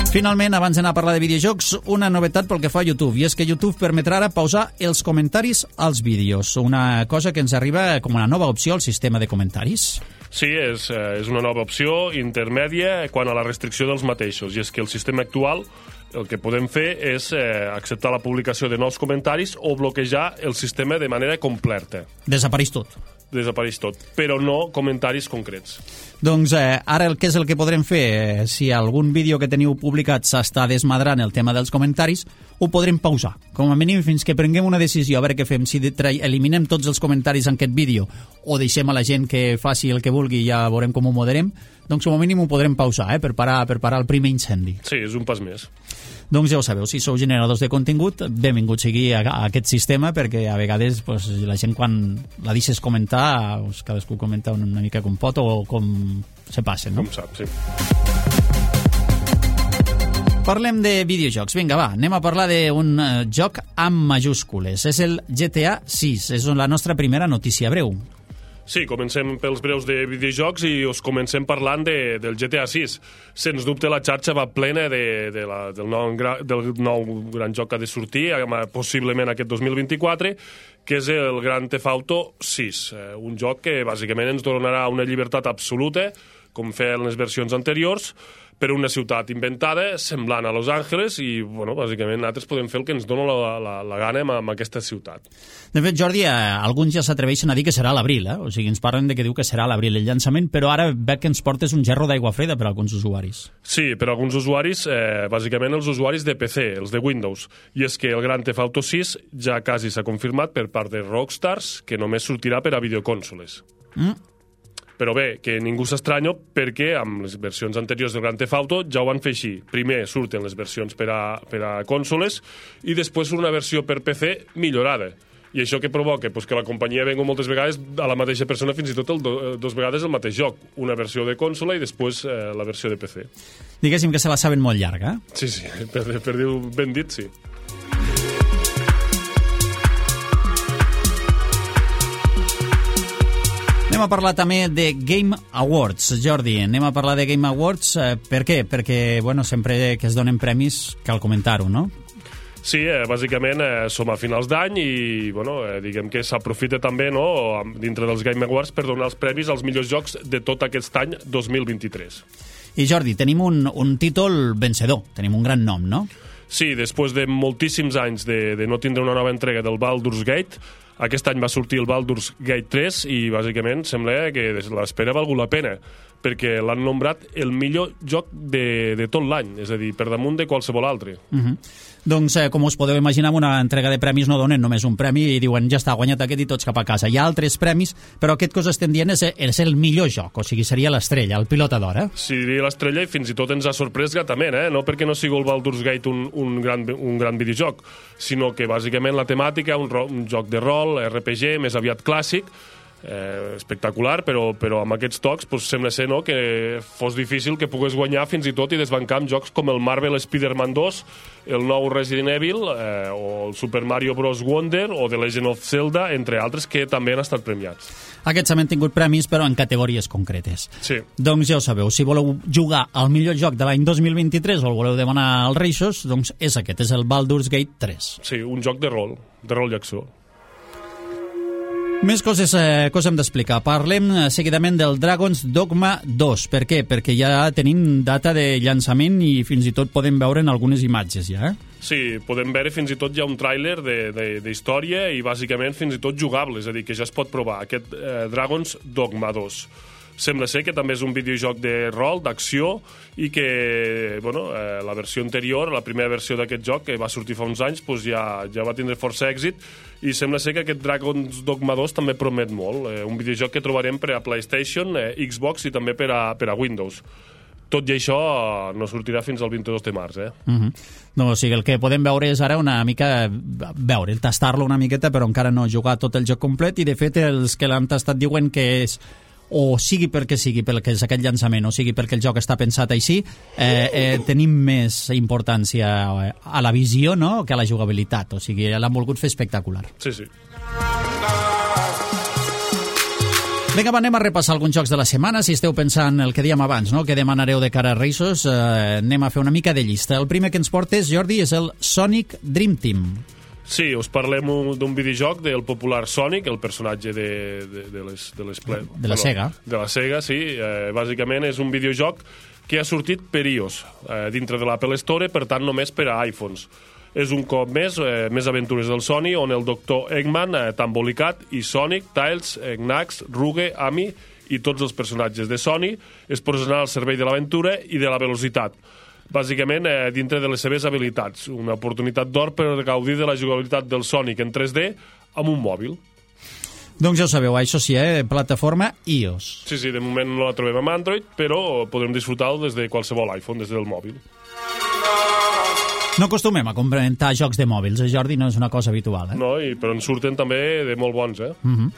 [SPEAKER 2] Finalment, abans d'anar a parlar de videojocs, una novetat pel que fa a YouTube, i és que YouTube permetrà ara pausar els comentaris als vídeos, una cosa que ens arriba com una nova opció al sistema de comentaris.
[SPEAKER 3] Sí, és, és una nova opció intermèdia quan a la restricció dels mateixos, i és que el sistema actual el que podem fer és eh, acceptar la publicació de nous comentaris o bloquejar el sistema de manera completa.
[SPEAKER 2] Desapareix tot.
[SPEAKER 3] Desapareix tot, però no comentaris concrets.
[SPEAKER 2] Doncs eh, ara el que és el que podrem fer, eh, si algun vídeo que teniu publicat s'està desmadrant el tema dels comentaris, ho podrem pausar, com a mínim fins que prenguem una decisió, a veure què fem, si eliminem tots els comentaris en aquest vídeo o deixem a la gent que faci el que vulgui i ja veurem com ho moderem, doncs com a mínim ho podrem pausar, eh, per parar, per parar el primer incendi.
[SPEAKER 3] Sí, és un pas més.
[SPEAKER 2] Doncs ja ho sabeu, si sou generadors de contingut, benvingut sigui a, a aquest sistema, perquè a vegades pues, la gent quan la deixes comentar, pues, cadascú comenta una, una mica com pot o com se passa, no?
[SPEAKER 3] Com sap, sí.
[SPEAKER 2] Parlem de videojocs. Vinga, va, anem a parlar d'un uh, joc amb majúscules. És el G T A sis, és la nostra primera notícia breu.
[SPEAKER 3] Sí, comencem pels breus de videojocs i us comencem parlant de, del G T A sis. Sens dubte la xarxa va plena de, de la, del, nou, del nou gran joc que ha de sortir, possiblement aquest dos mil vint-i-quatre, que és el Grand Theft Auto sis. Un joc que bàsicament ens donarà una llibertat absoluta, com feien les versions anteriors, per una ciutat inventada, semblant a Los Angeles, i, bueno, bàsicament, nosaltres podem fer el que ens dona la, la, la gana amb, amb aquesta ciutat.
[SPEAKER 2] De fet, Jordi, eh, alguns ja s'atreveixen a dir que serà a l'abril, eh? O sigui, ens parlen de que diu que serà a l'abril el llançament, però ara veig que ens portes un gerro d'aigua freda per a alguns usuaris.
[SPEAKER 3] Sí, per a alguns usuaris, eh, bàsicament els usuaris de P C, els de Windows, i és que el Grand Theft Auto sis ja quasi s'ha confirmat per part de Rockstars que només sortirà per a videocònsoles. Mm. Però bé, que ningú s'estranya perquè amb les versions anteriors del Grand Theft Auto ja ho van fer així. Primer surten les versions per a, per a cònsoles i després una versió per P C millorada. I això que provoca? Pues que la companyia venga moltes vegades a la mateixa persona, fins i tot el do, dos vegades el mateix joc. Una versió de consola i després eh, la versió de P C.
[SPEAKER 2] Diguéssim que se la saben molt llarga.
[SPEAKER 3] Sí, sí, per, per dir ben dit, sí.
[SPEAKER 2] Anem a parlar també de Game Awards, Jordi. Anem a parlar de Game Awards. Eh, per què? Perquè, bueno, sempre que es donen premis cal comentar-ho, no?
[SPEAKER 3] Sí, eh, bàsicament eh, som a finals d'any i, bueno, eh, diguem que s'aprofita també, no, dintre dels Game Awards per donar els premis als millors jocs de tot aquest any dos mil vint-i-tres.
[SPEAKER 2] I, Jordi, tenim un, un títol vencedor, tenim un gran nom, no?
[SPEAKER 3] Sí, després de moltíssims anys de, de no tindre una nova entrega del Baldur's Gate, aquest any va sortir el Baldur's Gate tres i bàsicament sembla que l'espera ha valgut la pena, perquè l'han nombrat el millor joc de, de tot l'any, és a dir, per damunt de qualsevol altre.
[SPEAKER 2] Uh-huh. Doncs, eh, com us podeu imaginar, una entrega de premis no donen només un premi i diuen ja està, guanyat aquest i tots cap a casa. Hi ha altres premis, però aquest que us estem dient és, és el millor joc, o sigui, seria l'estrella, el pilota d'or, eh?
[SPEAKER 3] Sí, diria l'estrella i fins i tot ens ha sorprès gratament, eh? No perquè no sigui el Baldur's Gate un, un, gran, un gran videojoc, sinó que bàsicament la temàtica, un, ro, un joc de rol, R P G, més aviat clàssic, eh, espectacular, però, però amb aquests tocs pues, sembla ser no, que fos difícil que pogués guanyar fins i tot i desbancar amb jocs com el Marvel Spider-Man dos, el nou Resident Evil, eh, o el Super Mario Bros. Wonder o The Legend of Zelda, entre altres, que també han estat premiats.
[SPEAKER 2] Aquests han tingut premis, però en categories concretes.
[SPEAKER 3] Sí.
[SPEAKER 2] Doncs ja ho sabeu, si voleu jugar al millor joc de l'any dos mil vint-i-tres o el voleu demanar als Reixos, doncs és aquest, és el Baldur's Gate tres.
[SPEAKER 3] Sí, un joc de rol, de rol i acció.
[SPEAKER 2] Més coses eh, que us hem d'explicar. Parlem eh, seguidament del Dragon's Dogma dos. Per què? Perquè ja tenim data de llançament i fins i tot podem veure en algunes imatges ja, eh?
[SPEAKER 3] Sí, podem veure fins i tot ja un tràiler d'història i bàsicament fins i tot jugable, és a dir, que ja es pot provar aquest eh, Dragon's Dogma dos. Sembla ser que també és un videojoc de rol, d'acció, i que bueno, eh, la versió anterior, la primera versió d'aquest joc, que va sortir fa uns anys, doncs ja, ja va tindre força èxit, i sembla ser que aquest Dragon's Dogma dos també promet molt. Eh, un videojoc que trobarem per a PlayStation, eh, Xbox i també per a, per a Windows. Tot i això no sortirà fins al vint-i-dos de març, eh?
[SPEAKER 2] Uh-huh. No, o sigui, el que podem veure és ara una mica veure, tastar-lo una miqueta, però encara no jugar tot el joc complet, i de fet els que l'han tastat diuen que és o sigui perquè sigui perquè és aquest llançament o sigui perquè el joc està pensat així, eh, eh, tenim més importància a la visió, no?, que a la jugabilitat, o sigui, l'han volgut fer espectacular.
[SPEAKER 3] Sí, sí.
[SPEAKER 2] Vinga, va, anem a repassar alguns jocs de la setmana. Si esteu pensant el que dèiem abans, no?, que demanareu de cara a Reis, eh, anem a fer una mica de llista. El primer que ens portes, Jordi, és el Sonic Dream Team.
[SPEAKER 3] Sí, us parlem d'un videojoc del popular Sonic, el personatge de, de, de les... De, les ple...
[SPEAKER 2] de la bueno, Sega.
[SPEAKER 3] De la Sega, sí. Eh, bàsicament és un videojoc que ha sortit per iOS, eh, dintre de l'Apple Store, per tant només per a iPhones. És un cop més, eh, més aventures del Sonic, on el doctor Eggman, eh, Tambolicat, i Sonic, Tails, Knax, Ruge, Amy i tots els personatges de Sonic es posaran al servei de l'aventura i de la velocitat. Bàsicament, eh, dintre de les seves habilitats. Una oportunitat d'or per gaudir de la jugabilitat del Sonic en tres D amb un mòbil.
[SPEAKER 2] Doncs ja ho sabeu, això sí, eh? Plataforma iOS.
[SPEAKER 3] Sí, sí, de moment no la trobem amb Android, però podrem disfrutar-ho des de qualsevol iPhone, des del mòbil.
[SPEAKER 2] No acostumem a complementar jocs de mòbils, eh, Jordi? No és una cosa habitual, eh?
[SPEAKER 3] No, i, però en surten també de molt bons, eh?
[SPEAKER 2] Mhm.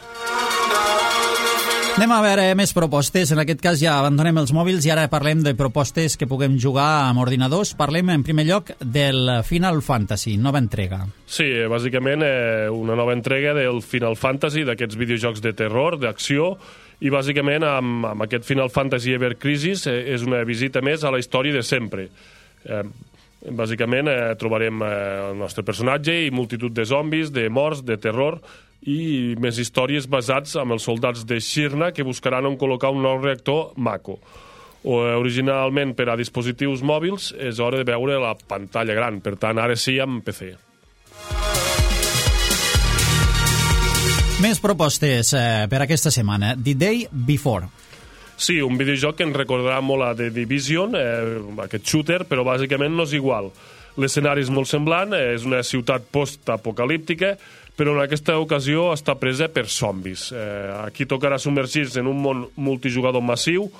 [SPEAKER 2] Anem a veure més propostes. En aquest cas ja abandonem els mòbils i ara parlem de propostes que puguem jugar amb ordinadors. Parlem en primer lloc del Final Fantasy, nova entrega.
[SPEAKER 3] Sí, bàsicament eh, una nova entrega del Final Fantasy, d'aquests videojocs de terror, d'acció, i bàsicament amb, amb aquest Final Fantasy Ever Crisis eh, és una visita més a la història de sempre. Eh, bàsicament eh, trobarem eh, el nostre personatge i multitud de zombis, de morts, de terror, i més històries basats amb els soldats de Shirna que buscaran on col·locar un nou reactor Mako. O, originalment per a dispositius mòbils és hora de veure la pantalla gran, per tant ara sí amb P C.
[SPEAKER 2] Més propostes eh, per aquesta setmana. The Day Before.
[SPEAKER 3] Sí, un videojoc que ens recordarà molt a The Division, eh, aquest shooter, però bàsicament no és igual. L'escenari és molt semblant, eh, és una ciutat post-apocalíptica, però en aquesta ocasió està presa per zombis. Eh, aquí tocarà submergir-se en un món multijugador massiu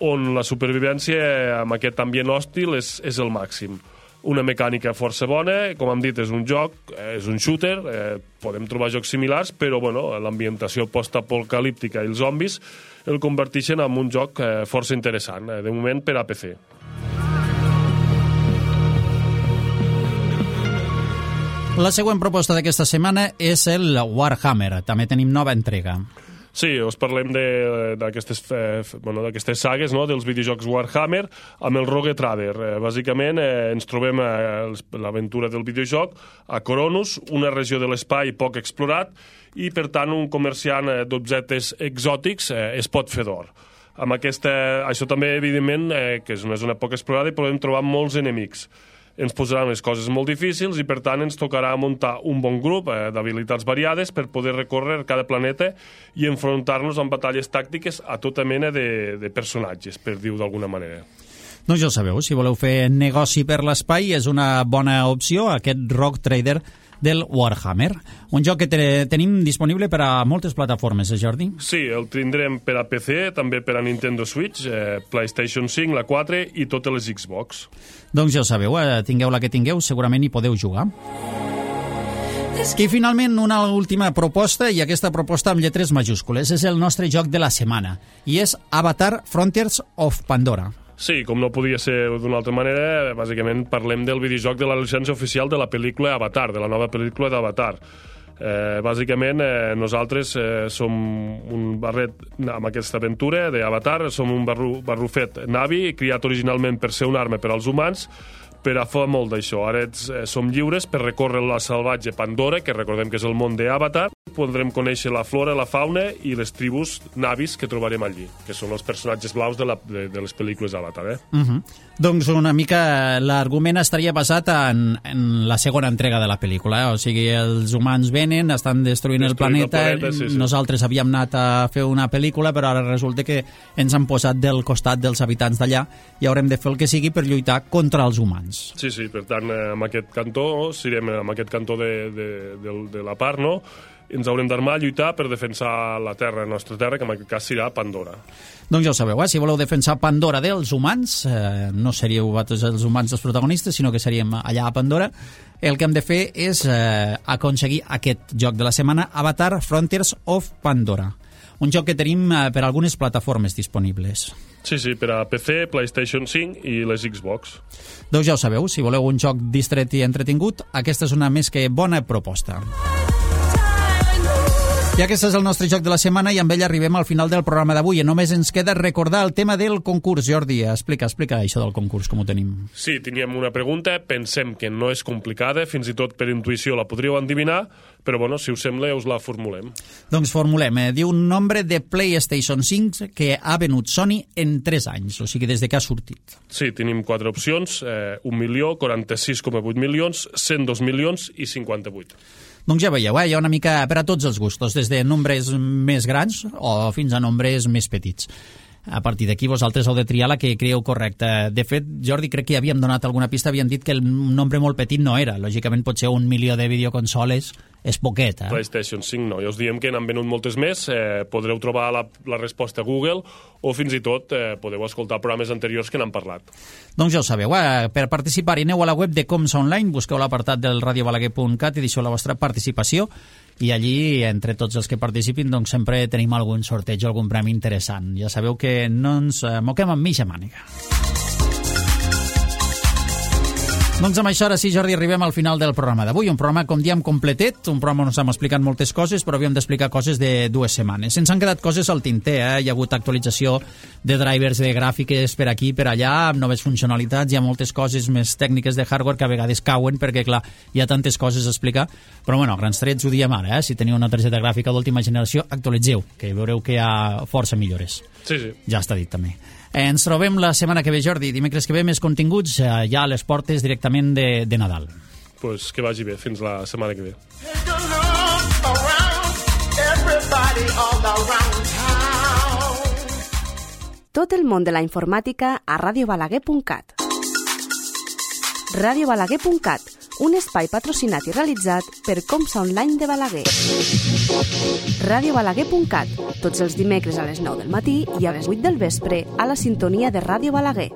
[SPEAKER 3] on la supervivència amb aquest ambient hòstil és, és el màxim. Una mecànica força bona, com hem dit, és un joc, és un shooter, eh, podem trobar jocs similars, però bueno, l'ambientació post-apocalíptica i els zombis el converteixen en un joc eh, força interessant, eh, de moment per a P C.
[SPEAKER 2] La següent proposta d'aquesta setmana és el Warhammer. També tenim nova entrega.
[SPEAKER 3] Sí, us parlem d'aquestes eh, bueno, d'aquestes sagues, no?, dels videojocs Warhammer amb el Rogue Trader. Eh, bàsicament eh, ens trobem a l'aventura del videojoc a Coronus, una regió de l'espai poc explorat, i per tant un comerciant d'objectes exòtics eh, es pot fer d'or. Amb aquesta, això també, evidentment, eh, que és una zona poc explorada i podem trobar molts enemics. Ens posaran les coses molt difícils i, per tant, ens tocarà muntar un bon grup eh, d'habilitats variades per poder recórrer cada planeta i enfrontar-nos amb batalles tàctiques a tota mena de, de personatges, per dir-ho d'alguna manera.
[SPEAKER 2] Doncs ja ho sabeu, si voleu fer negoci per l'espai és una bona opció, aquest Rogue Trader del Warhammer. Un joc que te tenim disponible per a moltes plataformes, eh, Jordi?
[SPEAKER 3] Sí, el tindrem per a P C, també per a Nintendo Switch, eh, PlayStation cinc, la quatre i totes les Xbox.
[SPEAKER 2] Doncs ja ho sabeu, eh, tingueu la que tingueu, segurament hi podeu jugar. I finalment una última proposta, i aquesta proposta amb lletres majúscules. És el nostre joc de la setmana, i és Avatar Frontiers of Pandora.
[SPEAKER 3] Sí, com no podia ser d'una altra manera, bàsicament parlem del videojoc de la llicència oficial de la pel·lícula Avatar, de la nova pel·lícula d'Avatar. Eh, bàsicament, eh, nosaltres eh, som un barret amb aquesta aventura d'Avatar, som un barru, barrufet Navi, criat originalment per ser una arma per als humans, però fa molt d'això. Ara ets, eh, som lliures per recórrer la salvatge Pandora, que recordem que és el món d'Avatar. Podrem conèixer la flora, la fauna i les tribus navis que trobarem allí, que són els personatges blaus de, la, de, de les pel·lícules Avatar. Eh?
[SPEAKER 2] Uh -huh. Doncs una mica l'argument estaria basat en, en la segona entrega de la pel·lícula. Eh? O sigui, els humans venen, estan destruint, destruint el planeta, el planeta sí, sí. Nosaltres havíem anat a fer una pel·lícula, però ara resulta que ens han posat del costat dels habitants d'allà i haurem de fer el que sigui per lluitar contra els humans.
[SPEAKER 3] Sí, sí, per tant, amb aquest cantó, serem amb aquest cantó de, de, de, de la part, no?, ens haurem d'armar a lluitar per defensar la terra, la nostra terra, que en aquest cas serà Pandora.
[SPEAKER 2] Doncs ja ho sabeu, eh? Si voleu defensar Pandora dels humans, eh, no seríeu vosaltres els humans els protagonistes, sinó que seríem allà a Pandora, el que hem de fer és eh, aconseguir aquest joc de la setmana, Avatar Frontiers of Pandora. Un joc que tenim eh, per algunes plataformes disponibles.
[SPEAKER 3] Sí, sí, per a P C, PlayStation cinc i les Xbox.
[SPEAKER 2] Doncs ja ho sabeu, si voleu un joc distret i entretingut, aquesta és una més que bona proposta. I aquest és el nostre joc de la setmana i amb ell arribem al final del programa d'avui. Només ens queda recordar el tema del concurs. Jordi, explica, explica això del concurs, com ho tenim.
[SPEAKER 3] Sí, teníem una pregunta, pensem que no és complicada, fins i tot per intuïció la podríeu endevinar, però bueno, si us sembla us la formulem.
[SPEAKER 2] Doncs formulem. Eh? Diu un nombre de PlayStation cinc que ha venut Sony en tres anys, o sigui, des de que ha sortit.
[SPEAKER 3] Sí, tenim quatre opcions, eh, un milió, quaranta-sis coma vuit milions, cent dos milions i cinquanta-vuit.
[SPEAKER 2] Doncs ja veieu, eh? Hi ha una mica per a tots els gustos, des de nombres més grans o fins a nombres més petits. A partir d'aquí vosaltres heu de triar la que creieu correcta. De fet, Jordi, crec que ja havíem donat alguna pista, havíem dit que el nombre molt petit no era. Lògicament pot ser un milió de videoconsoles, és poquet, eh?
[SPEAKER 3] PlayStation cinc no, ja us diem que n'han venut moltes més, eh, podreu trobar la, la resposta a Google o fins i tot eh, podeu escoltar programes anteriors que n'han parlat.
[SPEAKER 2] Doncs ja ho sabeu, eh? Per participar aneu a la web de Comsa Online, busqueu l'apartat del radio balaguer punt cat i deixeu la vostra participació i allí, entre tots els que participin, doncs sempre tenim algun sorteig o algun premi interessant. Ja sabeu que no ens eh, moquem amb mitja màniga. Doncs amb això, ara sí, Jordi, arribem al final del programa d'avui. Un programa, com diem, completet, un programa on us hem explicat moltes coses, però havíem d'explicar coses de dues setmanes. Ens han quedat coses al tinter, eh? Hi ha hagut actualització de drivers de gràfiques per aquí, per allà, amb noves funcionalitats, hi ha moltes coses més tècniques de hardware que a vegades cauen, perquè, clar, hi ha tantes coses a explicar, però, bueno, a grans trets ho diem ara, eh? Si teniu una targeta gràfica d'última generació, actualitzeu, que veureu que hi ha força millores.
[SPEAKER 3] Sí, sí.
[SPEAKER 2] Ja està dit, també. Ens trobem la setmana que ve, Jordi. Dimecres que ve més continguts eh, ja a les portes directament de, de Nadal.
[SPEAKER 3] Doncs pues que vagi bé. Fins la setmana que ve.
[SPEAKER 1] Tot el món de la informàtica a radio balaguer punt cat. radio balaguer punt cat, un espai patrocinat i realitzat per Comsa Online de Balaguer. radio balaguer punt cat, tots els dimecres a les nou del matí i a les vuit del vespre a la sintonia de Ràdio Balaguer.